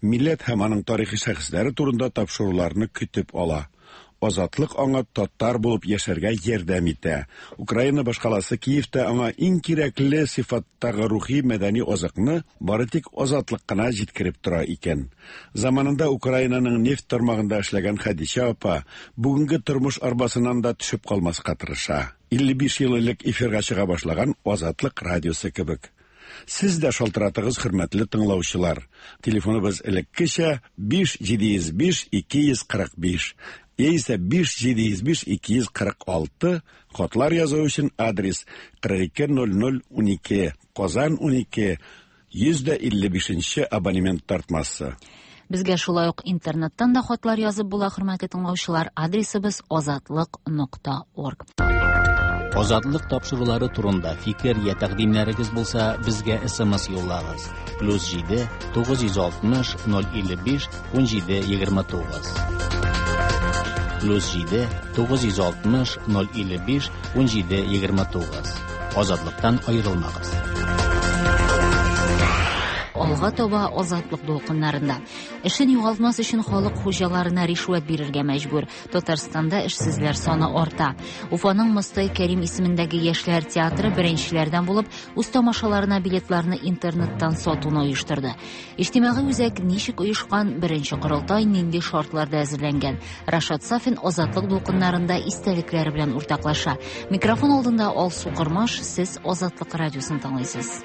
милләт һәм аның тарихи шәхесләре турында тапшыруларны көтеп ала. Азатлык аңа татар булып яшәргә ярдәм итә. Украина башкаласы Киевта аңа иң кирәкле сыйфаттагы рухи мәдәни азыкны бары тик Азатлык кына җиткереп тора икән. Заманында Украинаның нефть тармагында эшләгән Хәдичә апа бүгенге тормыш арбасыннан да төшеп калмаска тырыша. 55 ел элек эфирга чыга башлаган Азатлык радиосы кебек. Сез дә шалтыратыгыз, хөрмәтле тыңлаучылар. Телефоныбыз элеккечә 5 705 245 яисә 5 705 246. Хатлар язу өчен адрес 420012, Казан 12, 155 абонемент тартмасы. Безгә шулай ук интернеттан да хатлар язып була, хөрмәтле тыңлаучылар. Адресыбыз азатлык.орг. Азатлык тапшырулары турында фикер я тәкъдимнәрегез булса, безгә SMS юллагыз. +7 960 055 17 29. +7 960 055 17 29. Азатлыктан аерылмагыз. Алга таба Азатлык дулкыннарында. Эшен югалтмас өчен халык хуҗаларына ришвәт бирергә мәҗбүр. Татарстанда эшсезләр саны арта. Уфаның Мостай Кәрим исемендәге яшьләр театры беренчеләрдән булып үз тамашаларына билетларны интернеттан сатуны оештырды. Иҗтимагый үзәк ничек оешкан, беренче корылтай нинди шартларда әзерләнгән? Рашат Сафин Азатлык дулкыннарында истәлекләре белән уртаклаша. Микрофон алдында Алсу Кормаш, сез Азатлык радиосын тыңлыйсыз.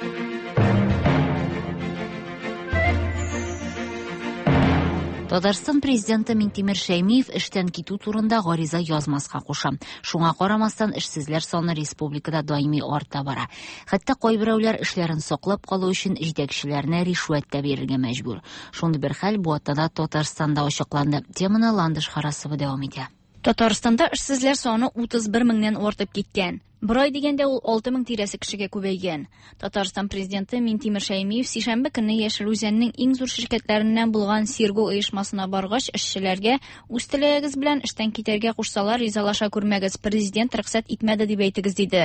Татарстан президенты Минтимер Шәймиев эштән китү турында гариза язмаска куша. Шуңа карамастан эшсезләр саны республикада даими арта бара. Хәтта кайберәүләр эшләрен саклап калу өчен җитәкчеләренә ришвәт тә бирергә мәҗбүр. Шундый бер хәл бу атнада Татарстанда ачыкланды. Теманы Ландыш Харасова дәвам итә. Татарстанда эшсезләр саны 31 меңнән артып киткән. Бер ай дигәндә ул 6 мең тирәсе кешегә күбәйгән. Татарстан президенты Минтимер Шәймиев сишәмбе көнне Яшел Үзәннең иң зур ширкәтләреннән булган Сирго оешмасына баргач, эшчеләргә үз теләгегез белән эштән китәргә кушсалар, ризалаша күрмәгез, президент рөхсәт итмәде дип әйтегез, диде.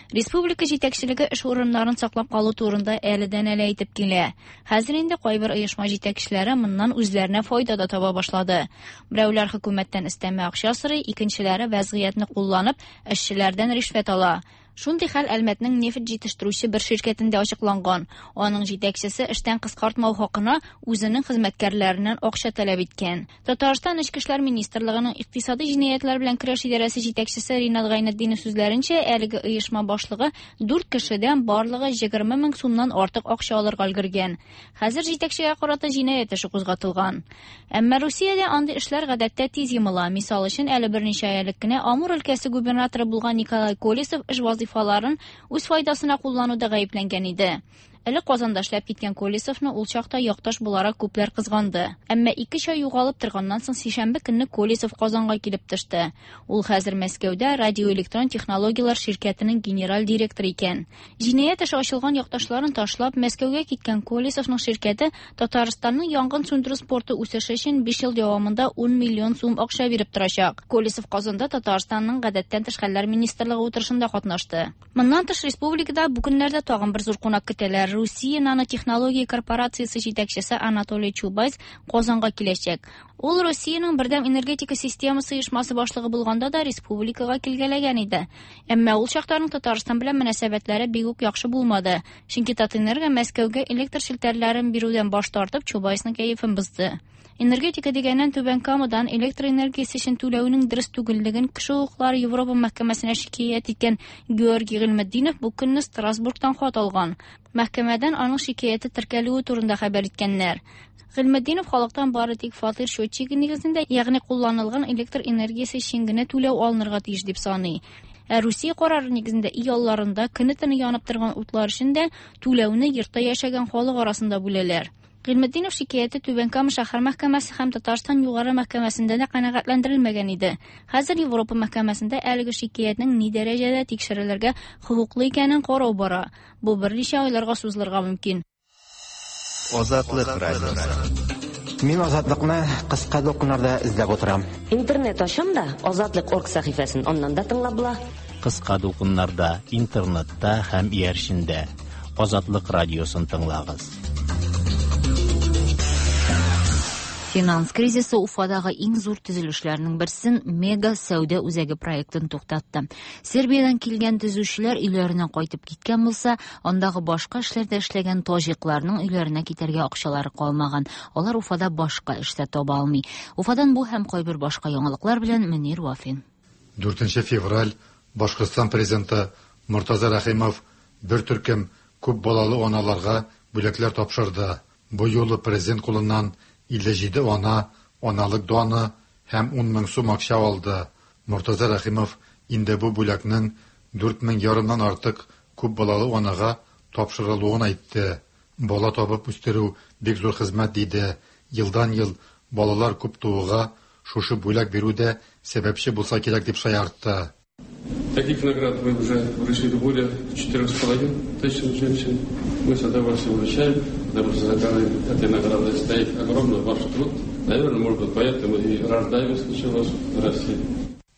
Республика җитәкчелеге эш урыннарын саклап калу турында әледән-әле әйтеп килә. Хәзер инде кайбер оешма җитәкчеләре моннан үзләренә файда да таба башлады. Берәүләр хөкүмәттән өстәмә акча сорый, икенчеләре вәзгыятьне кулланып, эшчеләрдән ришвәт ала. Шундый хәл Әлмәтнең нефть җитештерүче бер ширкәтендә ачыкланган. Аның җитәкчесе эштән кыскартмау хакына үзенең хезмәткәрләреннән акча таләп иткән. Татарстан Эчке эшләр министрлыгының икътисади җинаятьләр белән көрәш идарәсе җитәкчесе Ринат Гайнетдинов сүзләренчә, әлеге оешма башлыгы дүрт кешедән барлыгы 20 мең сумнан артык акча алырга өлгергән. Хәзер җитәкчегә карата җинаять эше кузгатылган. Әмма Русиядә андый эшләр гадәттә тиз йомыла. Мисал өчен, әле берничә ай элек кенә Амур өлкәсе губернаторы булган Николай Колесов эш вазыйфаларын үз файдасына куллануда гаепләнгән иде. Элек Казанда эшләп киткән Колесовны ул чакта якташ буларак күпләр кызганды. Әмма ике ай югалып торганнан соң сишәмбе көнне Колесов Казанга килеп төште. Ул хәзер Мәскәүдә радиоэлектрон технологияләр ширкәтенең генераль директоры икән. Җинаять эше ачылган якташларын ташлап Мәскәүгә киткән Колесовның ширкәте Татарстанның янгын сүндерү спорты үсеше өчен 5 ел дәвамында 10 миллион сум акча биреп торачак. Колесов Казанда Татарстанның гадәттән тыш хәлләр министрлыгы утырышында катнашты. Моннан тыш республикада бу көннәрдә тагын бер зур кунак көтәләр. Русия нанотехнология корпорациясе җитәкчесе Анатолий Чубайс Казанга киләчәк. Ул Русиянең бердәм энергетика системасы оешмасы башлыгы булганда да республикага килгәләгән иде. Әмма ул чакта аның Татарстан белән мөнәсәбәтләре бик үк яхшы булмады. Чөнки Татэнерго Мәскәүгә электр челтәрләрен бирүдән баш тартып Чубайсның кәефен бозды. Энергетика дигәннән Түбән Камадан электр энергиясе өчен түләүнең дөрес түгеллеген кеше хокуклары Европа мәхкәмәсенә шикаять иткән Георгий Гыйльметдинов бу көнне Страсбургтан хат алган. Мәхкәмәдән аның шикаяте теркәлүе турында хәбәр иткәннәр. Гыйльметдинов халыктан бары тик фатир счетчигы нигезендә, ягъни кулланылган электр энергиясе өчен генә түләү алынырга тиеш дип саный. Ә Русия карары нигезендә өй алларында көне-төне янып торган утлар өчен дә түләүне йортта яшәгән халык арасында бүләләр. Гыйльметдинов шикаяте Түбән Кама шәһәр мәхкәмәсе һәм Татарстан югары мәхкәмәсендә дә канәгатьләндерелмәгән иде. Хәзер Европа мәхкәмәсендә әлеге шикаятнең ни дәрәҗәдә тикшерелергә хокуклы икәнен карау бара. Бу берничә айларга сузылырга мөмкин. Азатлык радиосы. Мин Азатлыкны кыска дулкыннарда эзләп утырам. Интернет ачам да, Азатлык орг сәхифәсен аннан да тыңлап була. Кыска дулкыннарда, интернетта һәм иярчендә. Азатлык радиосын тыңлагыз. Финанс кризисы Уфадагы иң зур төзелешләрнең берсен Мега сәүдә үзәге проектын туктатты. Сербиядән килгән төзүчеләр өйләренә кайтып киткән булса, андагы башка эшләрдә эшләгән таҗикларның өйләренә китәргә акчалары калмаган. Алар Уфада башка эш тә таба алмый. Уфадан бу һәм кайбер башка яңалыклар белән Мөнир Вафин. 4 февраль Башкортстан президенты Мортаза Рәхимов бер төркем күп балалы аналарга бүләкләр тапшырды. Бу юлы президент кулыннан 57 ана аналык даны һәм 10 мең сум акча алды. Мортаза Рәхимов инде бу бүләкнең 4 мең ярымнан артык күп балалы анага тапшырылуын әйтте. Бала табып үстерү бик зур хезмәт диде. Елдан-ел балалар күп тууга шушы бүләк бирү дә сәбәпче булса кирәк дип шаяртты. Таких наград мы уже вручили более 4,5 тысяч женщин. Мы с удовольствием вручаем, потому что за каждой этой наградой стоит огромный ваш труд. Наверное, может быть, поэтому и рождаемость началась в России.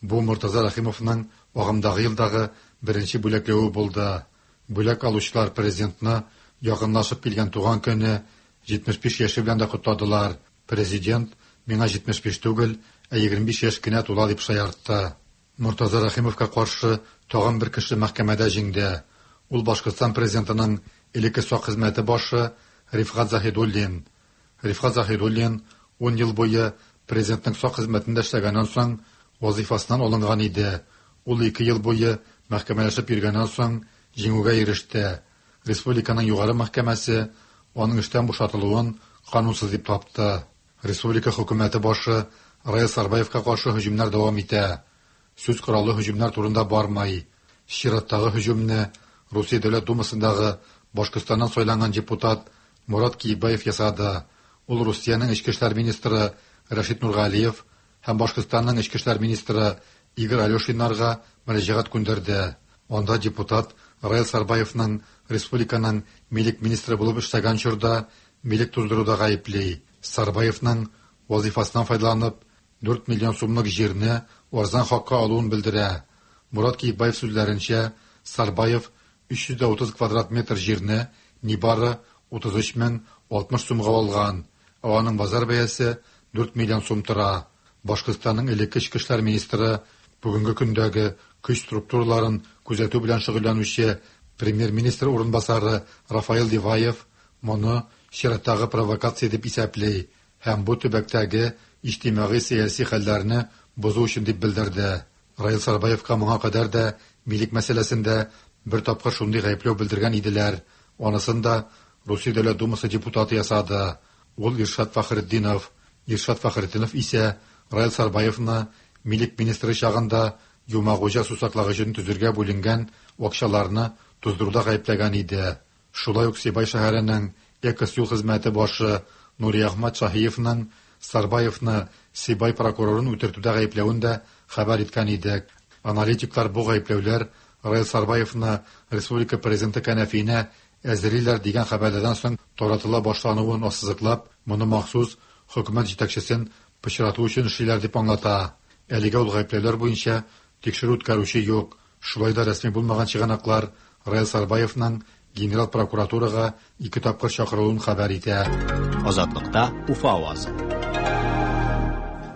Бу Мортаза Рәхимовның агымдагы елдагы беренче бүләкләве булды. Бүләк алучылар президентны якынлашып килгән туган көне 75 яше белән дә котладылар. Президент миңа 75 түгел, ә 25 яшь кенә тула дип шаяртты. Мортаза Рәхимовка каршы тагын бер кеше мәхкәмәдә җиңде. Ул Башкортстан президентының элекке сак хезмәте башы Рифгать Заһидуллин. Рифгать Заһидуллин 10 ел буе президентның сак хезмәтендә эшләгәннән соң вазифасыннан алынган иде. Ул 2 ел буе мәхкәмәләшеп йөргәннән соң җиңүгә иреште. Республиканың югары мәхкәмәсе аның эштән бушатылуын канунсыз дип тапты. Республика хөкүмәте башы Раил Сарбаевка каршы һөҗүмнәр дәвам итә. Сүз кораллы һөҗүмнәр турында бармый. Чираттагы һөҗүмне Русия Дәүләт Думасындагы Башкортстаннан сайланган депутат Мурат Киекбаев ясады. Ул Русиянең эчке эшләр министры Рәшит Нургалиев һәм Башкортстанның эчке эшләр министры Игорь Алешиннарга мөрәҗәгать күндерде. Анда депутат Раил Сарбаевның республиканың милек министры булып эшләгән чорда милек туздыруда гаепли. Сарбаевның вазифасыннан файдаланып 4 миллион сумлык җирне арзан хакка алуын белдерә. Мурат Киекбаев сүзләренчә, Сарбаев 330 квадрат метр җирне нибары 33 мең 60 сумга алган, ә аның базар бәясе 4 миллион сум тора. Башкортстанның элекке эчке эшләр министры бүгенге көндәге көч структураларын күзәтү белән шөгыльләнүче премьер-министр урынбасары Рафаэл Диваев моны чираттагы провокация дип исәпли һәм бу төбәктәге иҗтимагый-сәяси хәлләрне бозу өчен дип белдерде. Раил Сарбаевка моңа кадәр дә милек мәсьәләсендә бер тапкыр шундый гаепләү белдергән иделәр. Анысын да Русия Дәүләт Думасы депутаты ясады. Ул Иршат Фәхретдинов. Иршат Фәхретдинов исә Раил Сарбаевны милек министры чагында Юмагуҗа сусаклагычын төзергә бүленгән акчаларны туздыруда гаепләгән иде. Шулай ук Сибай шәһәренең Экос юл хезмәте башы Нуриәхмәт Шаһиевның Сарбаевны Сибай прокурорын үтертүдә гаепләвен дә хәбәр иткән идек. Аналитиклар бу гаепләүләр Раил Сарбаевны республика президенты кәнәфиенә әзерлиләр дигән хәбәрләрдән соң таратыла башлануын ассызыклап, моны махсус хөкүмәт җитәкчесен пычрату өчен эшлиләр дип аңлата. Әлегә ул гаепләүләр буенча тикшерү үткәрүче юк. Шулай да рәсми булмаган чыганаклар Раил Сарбаевның генерал прокуратурага ике тапкыр чакырылуын хәбәр итә. Азатлыкта Уфа авазы.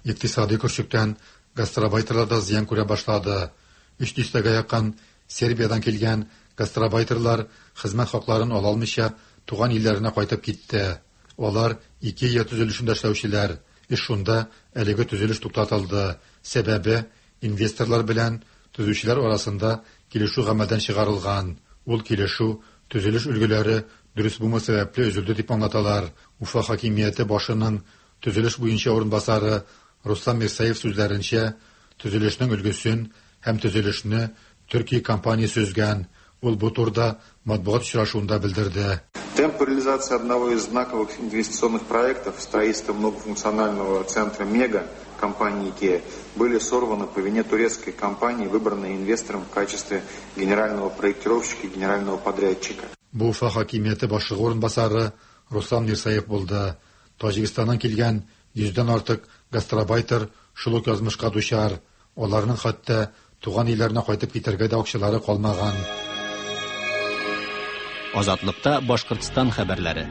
Икътисади көрчектән гастарбайтерлар да зыян күрә башлады. Өч дистәгә якын Сербиядән килгән гастарбайтерлар хезмәт хакларын ала алмыйча туган илләренә кайтып китте. Алар Икея төзелешендә эшләүчеләр. Эш шунда әлеге төзелеш туктатылды. Сәбәбе инвесторлар белән төзүчеләр арасында килешү гамәлдән чыгарылган. Ул килешү төзелеш өлгеләре дөрес булмау сәбәпле өзелде дип аңлаталар. Уфа хакимияте башының төзелеш буенча урынбасары Руслан Мирсаев сүзләренчә, төзелешнең өлгесен һәм төзелешне Төркия компаниясе өзгән. Ул бу турыда матбугат очрашуында белдерде. Темп реализации одного из знаковых инвестиционных проектов строительства многофункционального центра «Мега» компании IKEA были сорваны по вине турецкой компании, выбранной инвестором в качестве генерального проектировщика и генерального подрядчика. Бу Уфа хакимияте башлыгы урынбасары Руслан Мирсаев булды. Таҗикстаннан килгән йөздән артык гастарбайтер шул ук язмышка дучар. Аларның хәтта туган илләренә кайтып китәргә дә акчалары калмаган. Азатлыкта Башкортстан хәбәрләре.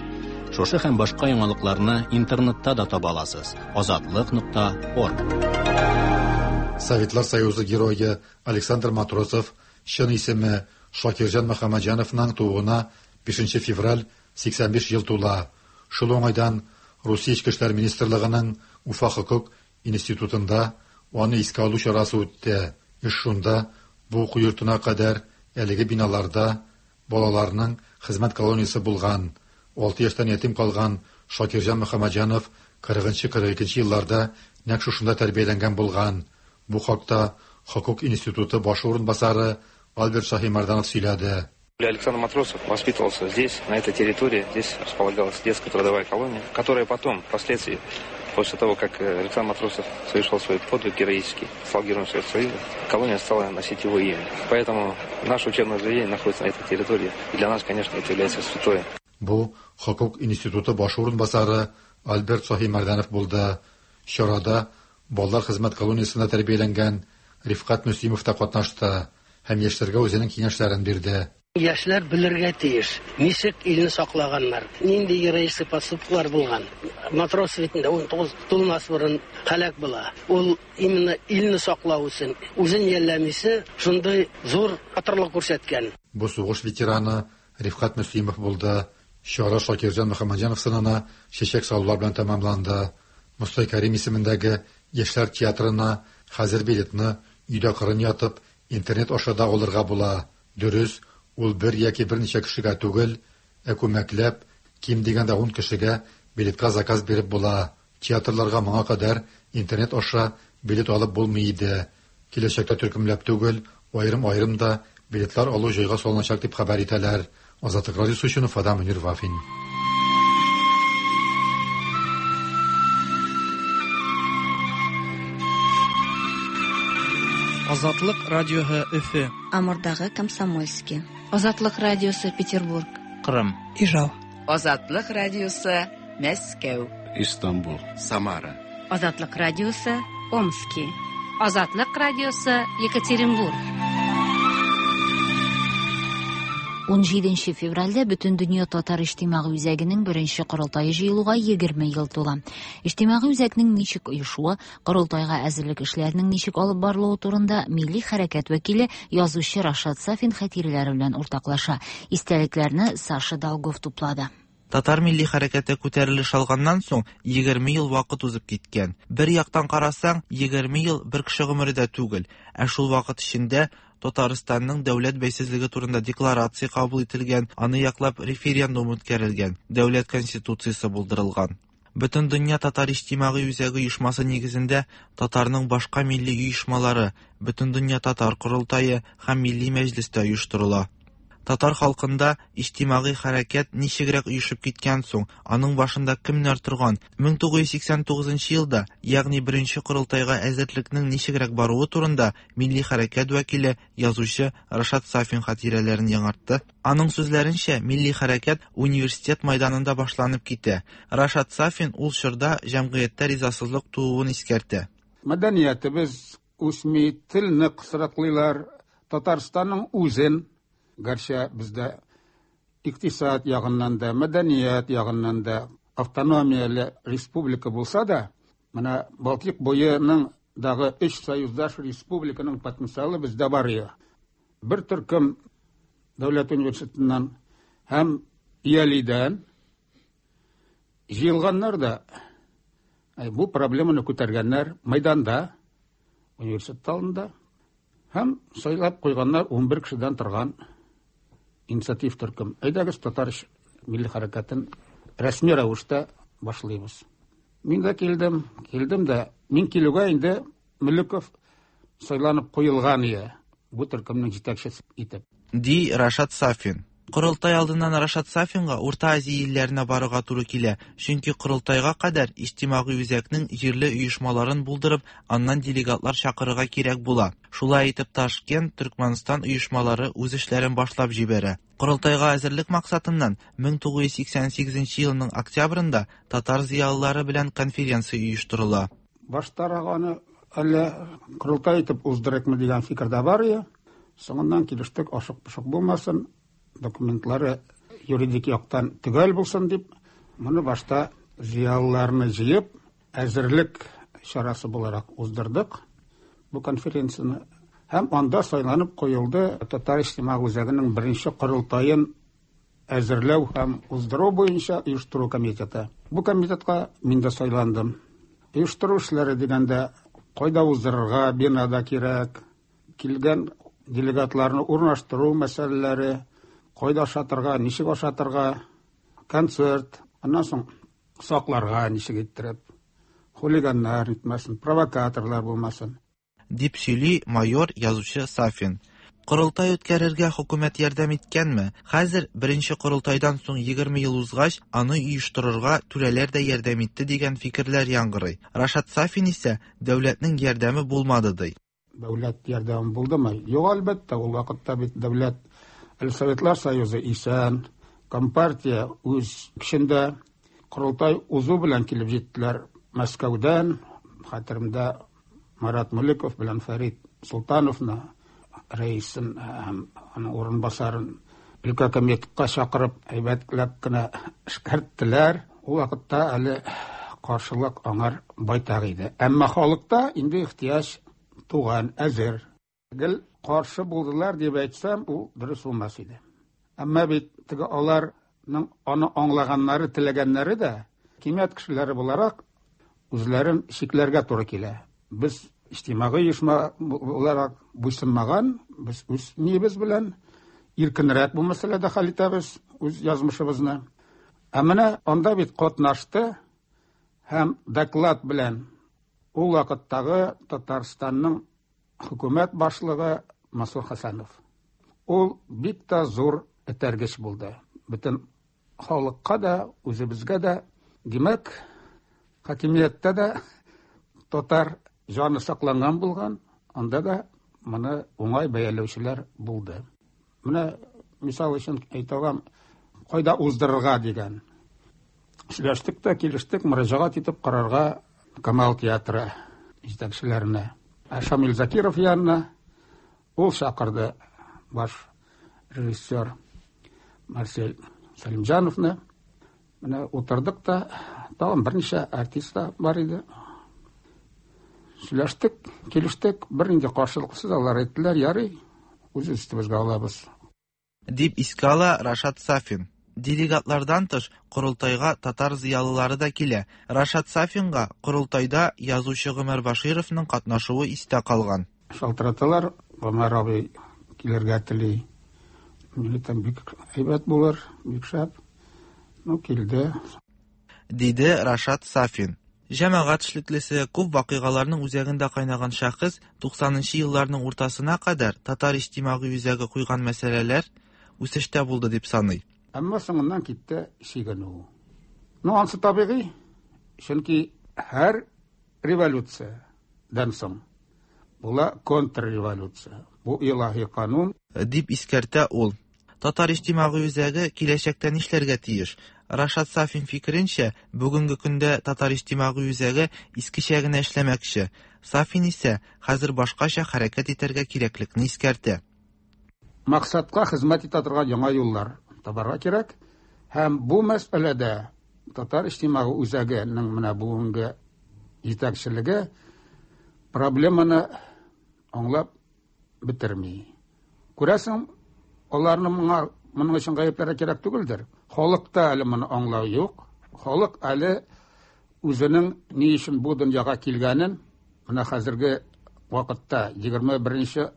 Шушы һәм башка яңалыкларны интернетта да таба аласыз. Азатлык.орг. Советлар Союзы герое Александр Матросов чын исеме Шакирҗан Мөхәммәтҗановның тууына 5 февраль 85 ел тула. Шул уңайдан Русия Эчке эшләр министрлыгының Уфа хокук институтында аны искә алу чарасы үтте. Эш шунда бу уку йортына кадәр әлеге биналарда балаларның хезмәт колониясе булган. 6 яшьтән ятим калган Шакирҗан Мөхәммәтҗанов 40-42 елларда нәкъ шушында тәрбияләнгән булган. Бу хакта хокук институты башы урынбасары Альберт Шаһимәрданов сөйләде. Александр Матросов воспитывался здесь, на этой территории. Здесь располагалась детская трудовая колония, которая потом, впоследствии, после того, как Александр Матросов совершил свой подвиг героический, стал героем Советского Союза, колония стала носить его имя. Поэтому наше учебное заведение находится на этой территории. И для нас, конечно, это является святое. Бу хокук институты башы урынбасары Альберт Шаһимәрданов булды. Чарада балалар хезмәт колониясендә тәрбияләнгән Рифкать Мөслимов та катнашты һәм яшьләргә үзенең киңәшләрен бирде. Яшьләр белергә тиеш, ничек илне саклаганнар, нинди героический поступклар булган. Матросов бит инде 19 тулмас борын һәлак була. Ул именно илне саклау өчен, үзен жәлләмисе, шундый зур батырлык күрсәткән. Бу сугыш ветераны Рифкать Мөслимов булды. Чара Шакирҗан Мөхәммәтҗанов сынына чәчәк салулар белән тәмамланды. Мостай Кәрим исемендәге Яшьләр театрына хәзер билетны өйдә кырын ятып, интернет аша да алырга була. Дөрес, ул бер яки берничә кешегә түгел, ә күмәкләп, ким дигәндә ун кешегә билетка заказ биреп була. Театрларга моңа кадәр интернет аша билет алып булмый иде. Киләчәктә төркемләп түгел, аерым-аерым да билетлар алу җайга салыначак дип хәбәр итәләр. Азатлык радиосы өчен Уфадан Мөнир Вафин. Азатлык радиоһы Өфе. Амурдагы Комсомольский. Азатлык радиосы Петербург. Кырым. Ижау. Азатлык радиосы Мәскәү. Истанбул. Самара. Азатлык радиосы Омски. Азатлык радиосы Екатеринбург. 17 февральдә Бөтендөнья татар иҗтимагый үзәгенең беренче корылтае җыелуга 20 ел тула. Иҗтимагый үзәкнең ничек оешуы, корылтайга әзерлек эшләренең ничек алып барылуы турында милли хәрәкәт вәкиле, язучы Рашат Сафин хатирәләре белән уртаклаша. Истәлекләрне Саша Долгов туплады. Татар милли хәрәкәте күтәрелеш алганнан соң 20 ел вакыт узып киткән. Бер яктан карасаң, 20 ел бер кеше гомере дә түгел, ә шул вакыт эчендә Татарстанның дәүләт бәйсезлеге турында декларация кабул ителгән, аны яклап референдум үткәрелгән, дәүләт конституциясе булдырылган. Бөтендөнья татар иҗтимагый үзәге оешмасы нигезендә татарның башка милли оешмалары, Бөтендөнья татар корылтае һәм Милли мәҗлес тә оештырыла. Татар халкында иҗтимагый хәрәкәт ничегрәк оешып киткән соң, аның башында кемнәр торган, 1989 елда, ягъни беренче корылтайга әзерлекнең ничегрәк баруы турында милли хәрәкәт вәкиле, язучы Рашат Сафин хатирәләрен яңартты. Аның сүзләренчә, милли хәрәкәт университет майданында башланып китә. Рашат Сафин ул чорда җәмгыятьтә ризасызлык тууын искәртә. Мәдәниятебез үсми, телне кысрыклыйлар, Татарстанның үзен, гәрчә бездә икътисад ягыннан да, мәдәният ягыннан да автономияле республика булса да, менә Балтик буеның дагы өч союздаш республиканың потенциалы бездә бар иде. Бер төркем дәүләт университетыннан һәм Иялидән җыелганнар да бу проблеманы күтәргәннәр мәйданда, университет алдында. Һәм сайлап куйганнар 11 кешедән торган инициатив төркем. Әйдәгез, татар милли хәрәкәтен рәсми рәвештә башлыйбыз. Мин дә килдем, килдем дә, мин килүгә инде Мөлеков сайланып куелган ие бу төркемнең җитәкчесе итеп. Ди Рашат Сафин. Корылтай алдыннан Рашат Сафинга Урта Азия илләренә барырга туры килә, чөнки корылтайга кадәр иҗтимагый үзәкнең җирле оешмаларын булдырып, аннан делегатлар чакырырга кирәк була. Шулай итеп Ташкент, Төркмәнстан оешмалары үз эшләрен башлап җибәрә. Корылтайга әзерлек максатыннан 1988 елның октябрендә татар зыялылары белән конференция оештырыла. Баштарак аны әллә корылтай итеп уздырыкмы дигән фикер дә бар иде. Соңыннан килештек, ашык-пошык булмасын, документлары юридик яктан төгәл булсын дип, моны башта зыялыларны җыеп, әзерлек чарасы буларак уздырдык бу конференцияне. Һәм анда сайланып куелды Татар иҗтимагый үзәгенең беренче корылтаен әзерләү һәм уздыру буенча оештыру комитеты. Бу комитетка мин дә сайландым. Оештыру эшләре дигәндә, кайда уздырырга, бина да кирәк, килгән делегатларны урнаштыру мәсьәләләре, кайда ашатырга, ничек ашатырга, концерт, аннан соң сакларга ничек иттереп, хулиганнар нитмәсен, провокаторлар булмасын. Дип сөйли майор, язучы Сафин. Корылтай үткәрергә хөкүмәт ярдәм иткәнме? Хәзер, беренче корылтайдан соң 20 ел узгач, аны оештырырга түрәләр дә ярдәм итте дигән фикерләр яңгырый. Рашат Сафин исә, дәүләтнең ярдәме булмады ди. Дәүләт ярдәме булдымы? Юк, әлбәттә, ул вакытта бит дәүләт әле Советлар Союзы исән, Компартия үз көчендә, корылтай узу белән килеп җиттеләр Мәскәүдән, хәтеремдә Марат Мөлеков белән Фәрит Солтановны, рәисен һәм аның урынбасарын Өлкә комитетка чакырып, әйбәтләп кенә эшкәрттеләр. Ул вакытта әле каршылык аңар байтак иде. Әмма халыкта инде ихтыяҗ туган, әзер. Гел каршы булдылар дип әйтсәм, ул дөрес булмас иде. Әмма бит теге аларның аны аңлаганнары, теләгәннәре дә, хакимият кешеләре буларак, үзләрен чикләргә туры килә. Без иҗтимагый оешма буларак буйсынмаган, без үз ниебез белән иркенрәк бу мәсьәләдә хәл итәбез үз язмышыбызны. Ә менә анда бит катнашты һәм доклад белән ул вакыттагы Татарстанның хөкүмәт башлыгы Мансур Хәсәнов. Ул бик тә зур этәргеч булды. Бөтен халыкка да, үзебезгә дә. Димәк, хакимияттә дә татар җаны сакланган булган, анда да моны уңай бәяләүчеләр булды. Менә мисал өчен әйтә алам, кайда уздырырга дигән. Сөйләштек тә, килештек, мөрәҗәгать итеп карарга Камал театры җитәкчеләренә. Ә Шамил Закиров янына ул чакырды баш режиссер Марсель Сәлимҗановны. Менә утырдык та, тагын берничә артист та бар иде. Сөйләштек, килештек, бернинди каршылыксыз алар әйттеләр, ярый, үз өстебезгә алабыз. Дип искә ала Рашат Сафин. Делегатлардан тыш, корылтайга татар зыялылары да килә. Рашат Сафинга корылтайда язучы Гомәр Башировның катнашуы истә калган. Шалтыраталар, Гомәр абый килергә тели. Мин әйтәм, бик әйбәт булыр, бик шәп. Ну, килде. Диде Рашат Сафин. Җәмәгать эшлеклесе, күп вакыйгаларның үзәгендә кайнаган шәхес 90 нчы елларның уртасына кадәр Татар иҗтимагый үзәге куйган мәсьәләләр үсештә булды дип саный. Әмма соңыннан китте чигенү. Ну, ансы табигый, чөнки һәр революциядән соң була контрреволюция. Бу илаһи канун. Дип искәртә ул. Татар иҗтимагый үзәге киләчәктә нишләргә тиеш? Рашат Сафин фикеренчә, бүгенге көндә Татар иҗтимагый үзәге искечә генә эшләмәкче. Сафин исә хәзер башкача хәрәкәт итәргә кирәклекне искәртә. Максатка хезмәт итә торган яңа юллар табарга кирәк һәм бу мәсьәләдә Татар иҗтимагый үзәгенең менә бүгенге җитәкчелеге проблеманы аңлап бетерми. Күрәсең, аларны моңа моның өчен гаепләргә кирәк түгелдер. Халыкта әле моны аңлау юк. Халык әле үзенең ни өчен бу дөньяга килгәнен менә хәзерге вакытта 21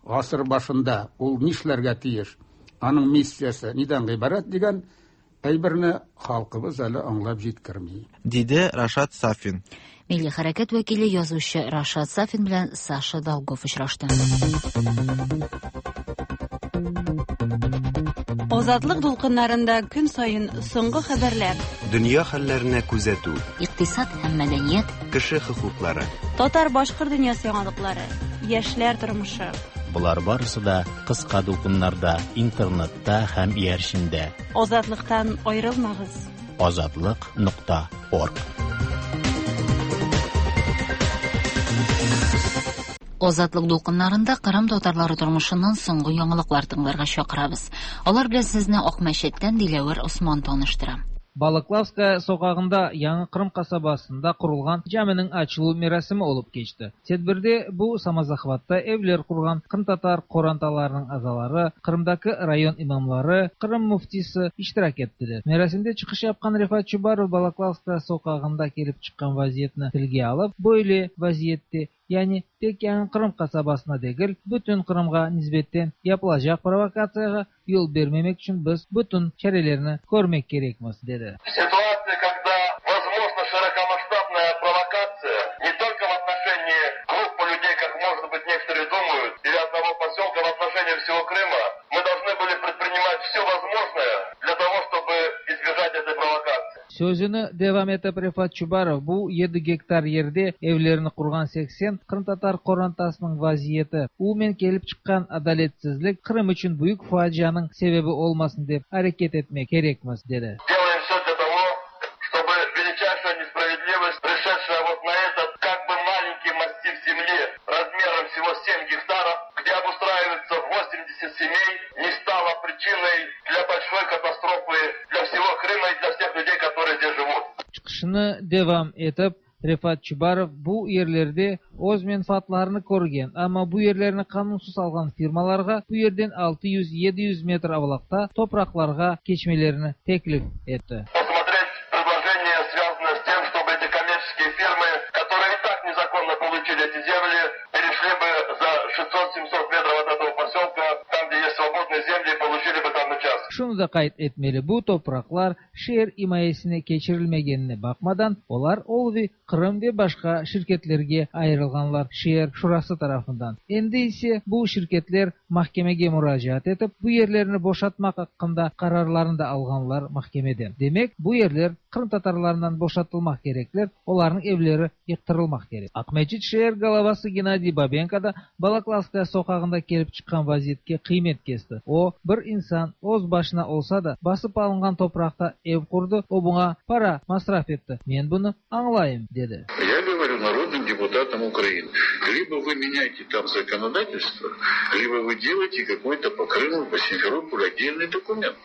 гасыр башында ул нишләргә тиеш, аның миссиясе нидән гыйбарәт дигән әйберне халкыбыз әле аңлап җиткерми. Диде Рашат Сафин. Милли хәрәкәт вәкиле язучы Рашат Сафин белән Саша Долгов очрашты. Азатлык дулкыннарында көн саен соңгы хәбәрләр. Дөнья хәлләренә күзәтү. Икътисад һәм мәдәният. Кеше хокуклары. Татар-башкорт дөньясы яңалыклары. Яшьләр тормышы. Болар барысы да кыска дулкыннарда, интернетта һәм иярчендә. Азатлыктан аерылмагыз. Азатлык нокта орг. Азатлык дулкыннарында Кырым татарлары тормышыннан соңгы яңалыклар тыңларга чакырабыз. Алар белән сезне Акмәчеттән Диләвәр Осман таныштыра. Балаклавская soqağında Yañı Qırım qasabasında qurulğan caminiñ açıluv merasimi olıp keçti. Tedbirde bu samozahvatta evler qurğan qırımtatar qorantalarınıñ azaları, Qırımdaki rayon imamları, Qırım müftisi iştirak ettiler. Merasimde çıqış yapqan Refat Çubarov Balaklavskaya soqağında kelip çıqqan vaziyetni tilge alıp, böyle vaziyette, yani tek Yañı Qırım qasabasına degil, bütün Qırımğa nisbetten yapılacaq provokatsiyağa yol bermemek içün biz bütün çarelerni körmek kerekmiz, dedi. Ситуация, когда возможна широкомасштабная провокация не только в отношении группы людей, как, может быть, некоторые думают, или одного поселка, в отношении всего Крыма, мы должны были предпринимать все возможное для того, чтобы избежать этой провокации. Sözüni devam etip Refat Çubarov, bu yedi gektar yerde evlerini qurğan 80 qırımtatar qorantasınıñ vaziyeti, umumen kelip çıqqan adaletsizlik Qırım içün büyük facianıñ sebebi olmasın dep areket etmek kerekmiz, dedi. Делаем все для того, чтобы величайшая несправедливость, пришедшая вот на этот как бы маленький массив земли размером всего 7 гектаров, где обустраивается 80 семей, не стала причиной предпосылкой для большой катастрофы для всего Крыма и для всех людей, которые здесь живут. Çıqışını devam etip, Refat Çubarov bu yerlerde öz menfaatlarını körgen, amma bu yerlerni qanunsız alğan firmalarğa bu yerden 600-700 metr avlaqta topraqlarğa keçmelerini teklif etti. Посмотреть предложение, связанное с тем, чтобы эти коммерческие фирмы, которые и так незаконно получили эти земли, перешли бы за 600-700 метров от этого поселка, там, где есть свободные земли, и получили бы там участок. Şunı da qayd etmeli, bu topraqlar şeer imayesine keçirilmegenine baqmadan, olar Olvi Qırım ve başqa şirketlerge ayırılğanlar şeer şurası tarafından. Endi ise bu şirketler mahkemege muracaat etip, bu yerlerni boşatmaq aqqında qararlarını da alğanlar mahkemeden. Demek, bu yerler qırımtatarlarından boşatılmaq kerekler, olarnıñ evleri yıqtırılmaq kerek. Aqmescit şeer golovası Gennadiy Babenko da Balaklavskaya soqağında kelip çıqqan vaziyetke qıymet kesti. O, bir insan öz başına olsa da, basıp alınğan topraqta ev qurdı, o buña para masraf etti, men bunı añlayım, dedi. Я говорю народным депутатам Украины, либо вы меняете там законодательство, либо вы делаете какой-то по Крыму, по Симферополю отдельный документ.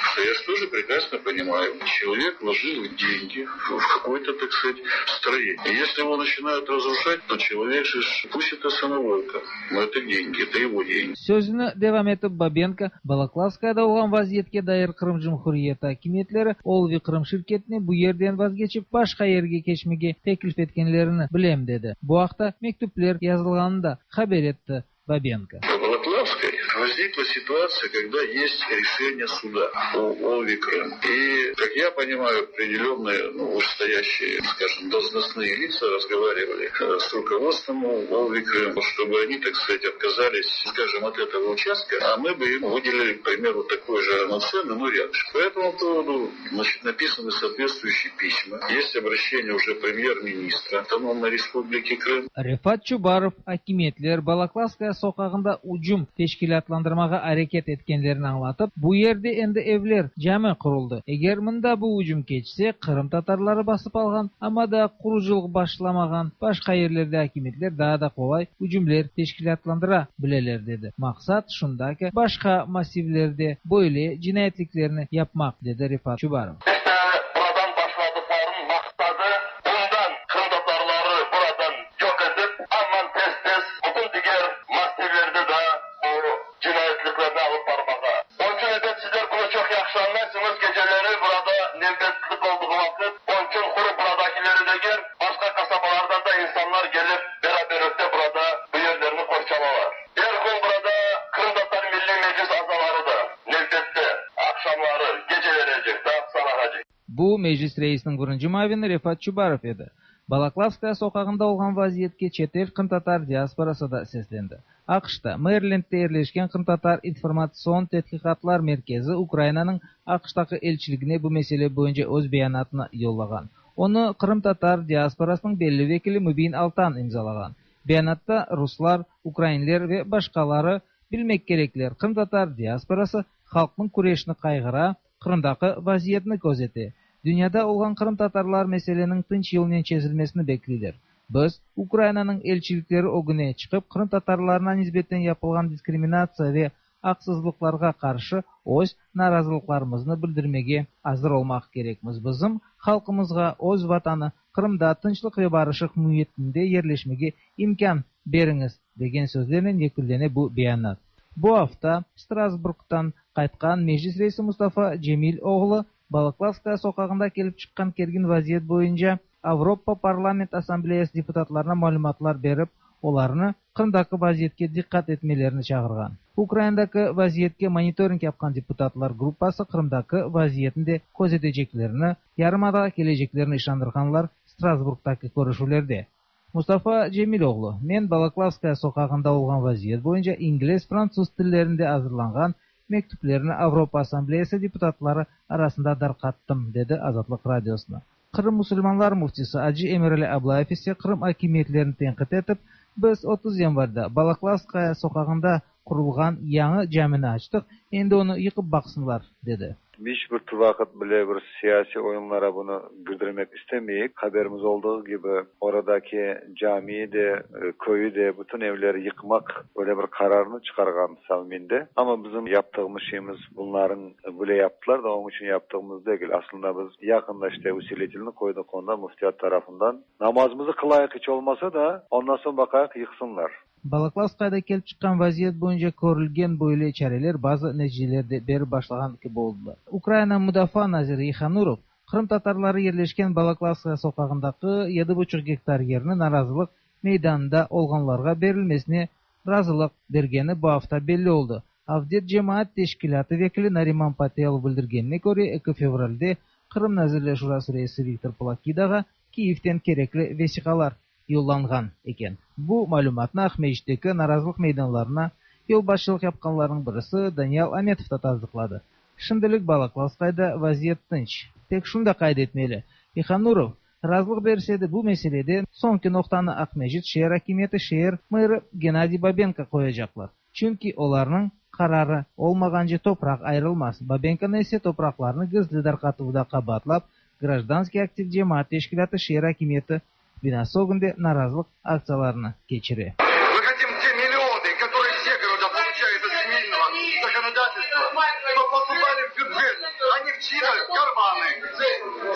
Что я же тоже прекрасно понимаю, человек вложил деньги в какое-то, так сказать, строение. И если его начинают разрушать, то человек же, пусть это самоволка, но это деньги, это его деньги. Sözüni devam etip Babenko, Balaklavskayada olğan vaziyetke dair Qırım Cumhuriyeti akimiyetleri Olvi Qırım şirketine bu yerden vazgeçip başqa yerge keçmege teklif etkenlerini bilem, dedi. Bu aqta mektüpler yazılğanını da haber etti Babenko. По Балаклавской возникла ситуация, когда есть решение суда о Олви Крым. И, как я понимаю, определенные, ну, вышестоящие, скажем, должностные лица разговаривали с руководством Олви Крым, чтобы они, так сказать, отказались, скажем, от этого участка, а мы бы им выделили, к примеру, такой же равноценный, но рядом. По этому поводу, значит, написаны соответствующие письма. Есть обращение уже премьер-министра Автономной Республики Крым. Refat Çubarov akimiyetler Balaklavskaya soqağında ücüm teşkilâtlandırmağa areket etkenlerini añlatıp, bu yerde endi evler, cami quruldı. Eger mında bu ücüm keçse, qırımtatarları basıp alğan, amma daa qurucılıq başlamağan başqa yerlerde akimiyetler daa da qolay ücümler teşkilâtlandıra bileler, dedi. Maqsat şunda ki, başqa massivlerde böyle cinayetliklerni yapmaq, dedi Refat Çubarov. İşte buradan başladıqlarınıñ maqsadı, bundan qırımtatarları buradan yoq etip, aman tez-tez bütün diger massivlerde da bu cinayetliklerni alıp barmağa. Onıñ içün, ebet, sizler bunı çoq yahşı añlaysıñız, geceleri burada nevbetlik olduğı vaqıt, onıñ içün quru buradakileri degil, başqa qasabalardan da insanlar kelip, beraberlikte burada bu yerlerni qorçalalar. Er kün burada Qırımtatar Milliy Meclis azaları da nevbette, aqşamları, gecelerecek, daa sabağacek. Bu, Meclis reisiniñ birinci muavini Refat Çubarov edi. Balaklavskaya soqağında olğan vaziyetke çetel qırımtatar diasporası da seslendi. AQŞta, Merilendde yerleşken Qırımtatar informatsion tedqiqatlar merkezi Ukrainanıñ AQŞtaki elçiligine bu mesele boyunca öz beyanatını yollağan. Onı qırımtatar diasporasınıñ belli vekili Mübin Altan imzalağan. Beyanatta ruslar, ukrainler ve başqaları bilmek kerekler, qırımtatar diasporası halqnıñ küreşini qayğıra, Qırımdaki vaziyetni közete. Dünyada olğan qırımtatarlar meseleniñ tınç yolnen çezilmesini bekleyler. Biz, Ukrainanıñ elçilikleri ögüne çıqıp, qırımtatarlarına nisbeten yapılğan diskriminatsiya ve aqsızlıqlarğa qarşı öz narazılıqlarımıznı bildirmege azır olmaq kerekmiz. Bizim halqımızğa öz Vatanı, Qırımda tınçlıq ve barışıq müitinde yerleşmege imkân beriñiz, degen sözlernen yekünlene bu beyanat. Bu afta Strasburgtan qaytqan Meclis reisi Mustafa Cemil oğlu Balaklavskaya soqağında kelip çıqqan kergin vaziyet boyunca Avropa Parlament Assambleyası deputatlarına malümatlar berip, olarnı Qırımdaki vaziyetke diqqat etmelerini çağırğan. Ukrainadaki vaziyetke monitoring yapqan deputatlar gruppası Qırımdaki vaziyetni de közeteceklerini, yarımadağa keleceklerini işandırğanlar Strasburgtaki körüşüvlerde. Mustafa Cemil oğlu, Men Balaklavskaya soqağında olğan vaziyet boyunca ingliz, fransuz tillerinde azırlanğan mektüplerni Avropa Assambleyası deputatları arasında darqattım, dedi Azatlıq Radiosına. Qırım musulmanlar müftisi acı Emirali Ablayev ise Qırım akimiyetlerini tenqit etip, Biz 30 yanvarda Balaklavskaya soqağında qurulğan yañı camini açtıq, endi onı yıqıp baqsınlar, dedi. Hiç bir vaqıt bile bir siyasiy oyunlara bunı girdirmek istemeyik. Haberimiz olduğu kibi, oradaki camiyi de, köyü de, bütün evleri yıqmaq öyle bir qararnı çıqarğan Savminde. Amma bizim yaptığımız şeyimiz bunların böyle yaptılar da, onıñ içün yaptığımız degil. Aslında biz yaqında işte usilitelni qoydıq onda müftiyat tarafından. Namazımızı qılayıq iç olmasa da, ondan soñ baqayıq yıqsınlar. Balaklavskayda kelip çıqqan vaziyet boyunca körülgen böyle çareler bazı neticeler de berip başlağan kibi oldılar. Ukraina mudafaa naziri Yehonurov qırımtatarları yerleşken Balaklavskaya soqağındaki yedi buçuq gektar yerni narazılıq meydanında olğanlarğa berilmesine razılıq bergeni bu afta belli oldı. Avdet cemaat teşkilâtı vekili Nariman Patelov bildirgenine köre, eki fevralde Qırım Nazirler Şurası reisi Viktor Plokidağa Kiyevden kerekli vesiqalar yollanğan eken. Bu malümatnı Aqmescitteki narazılıq meydanlarına yolbaşçılıq yapqanlarnıñ birisi Daniyal Ametov da tasdıqladı. Şimdilik Balaklavskayda vaziyet tınç. Tek şunı da qayd etmeli, Yehonurov razılıq berse de, bu meselede soñki noqtanı Aqmescit şeer akimiyeti şeer meri Gennadiy Babenko qoyacaqlar. Çünki olarnıñ qararı olmağance topraq ayırılmaz. Babenkonı ise topraqlarnı gizli darqatuvda qabaatlap, Grajdanskiy aktiv cemaat teşkilâtı şeer akimiyeti binası ögünde narazılıq aktsiyalarını keçire. Мы хотим те миллионы, которые все города получают от земельного законодательства, чтоб поступали в бюджет, а не в чьи-то карманы.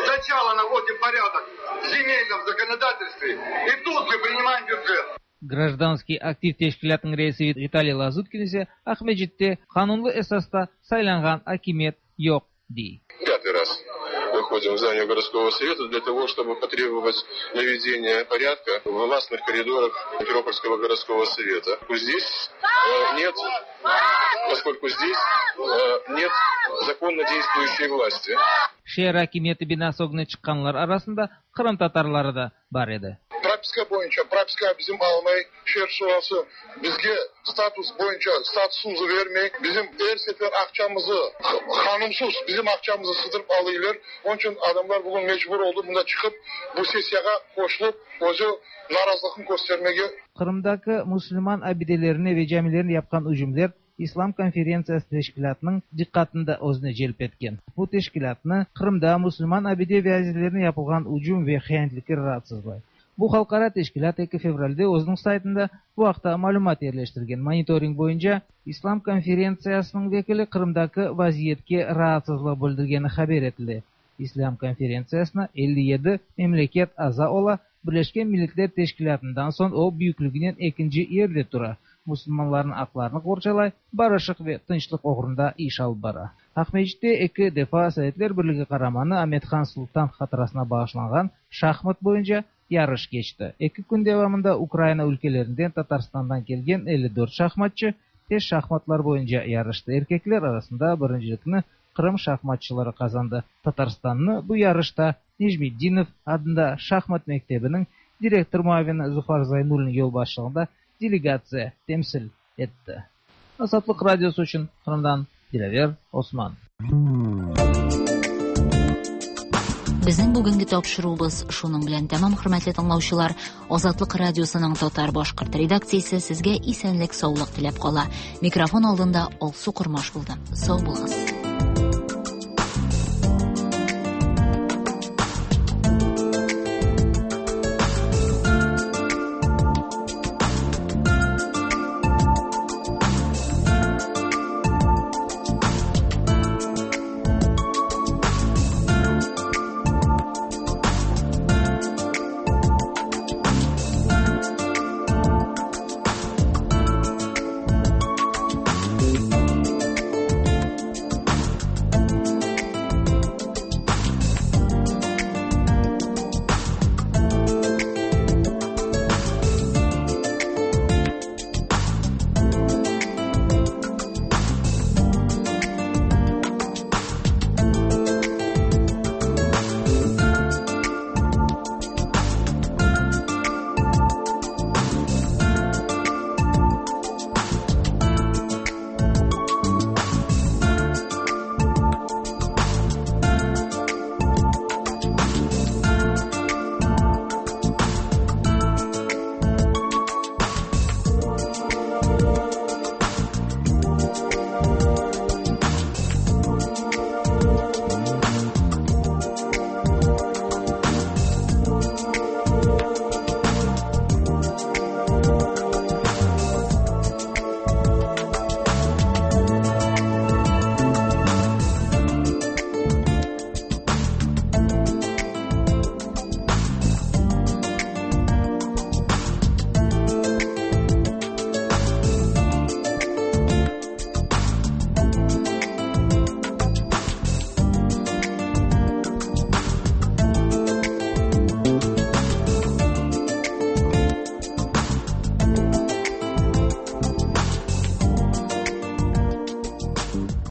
Сначала наводим порядок в земельном законодательстве, и тут же принимаем бюджет. Grajdanskiy aktiv teşkilâtınıñ reisi Vitaliy Lazutkin ise Aqmescitte qanunlı esasta saylanğan akimiyet yoq, dey. Пятый раз выходим в здание городского совета для того, чтобы потребовать наведения порядка в властных коридорах Симферопольского городского совета. Здесь нет, поскольку здесь нет законно действующей власти. Şeer akimiyeti binası ögüne çıqqanlar arasında qırımtatarları da bar edi. Propiska boyunca propiska bizim almay, şeer şurası bizge status boyunca statusımızı bermey, bizim er sefer aqçamızı qanunsız bizim aqçamızı sıdırıp alıylar. Onıñ içün adamlar bugün mecbur oldı mında çıqıp bu sessiyağa qoşulıp özü narazılıqın köstermege. Qırımdaki musulman abidelerine ve camilerine yapqan ücümler İslam konferentsiyası teşkilâtınıñ diqqatını da özüne celp etken. Bu teşkilâtnı Qırımda musulman abide ve azizlerine yapılğan ücüm ve hiyanetlikler raatsızlay. Bu halqara teşkilât eki fevralde özüniñ saytında bu aqta malümat yerleştirgen. Monitoring boyunca İslam konferentsiyasınıñ vekili Qırımdaki vaziyetke raatsızlıq bildirgeni haber etile. İslâm konferentsiyasına 57 memleket aza ola, Birleşken Milletler Teşkilâtından soñ o, büyükliginen ekinci yerde tura, musulmanlarnıñ aqlarını qorçalay, barışıq ve tınçlıq oğrunda iş alıp bara. Aqmescitte eki defa Sovetler Birligi Qaramanı Amet-Han Sultan hatırasına bağışlanğan şahmat boyunca yarış keçti. Eki kün devamında Ukraina ülkelerinden, Tatarstandan kelgen 54 şahmatçı tez şahmatlar boyunca yarıştı. Erkekler arasında birincilikni Qırım şahmatçıları qazandı. Tatarstannı bu yarışta Necmetdinov adında şahmat mektebiniñ direktor muavini Zufar Zaynullin yolbaşçılığında delegatsiya temsil etti. Azatlıq Radiosı içün Qırımdan Dilâver Osman. Безнең бүгенге тапшыруыбыз шуның белән тәмам, хөрмәтле тыңлаучылар. Азатлык радиосының татар башкорт редакциясе сезгә исәнлек, саулык теләп кала. Микрофон алдында Алсу Кормаш булды. Сау булыгыз.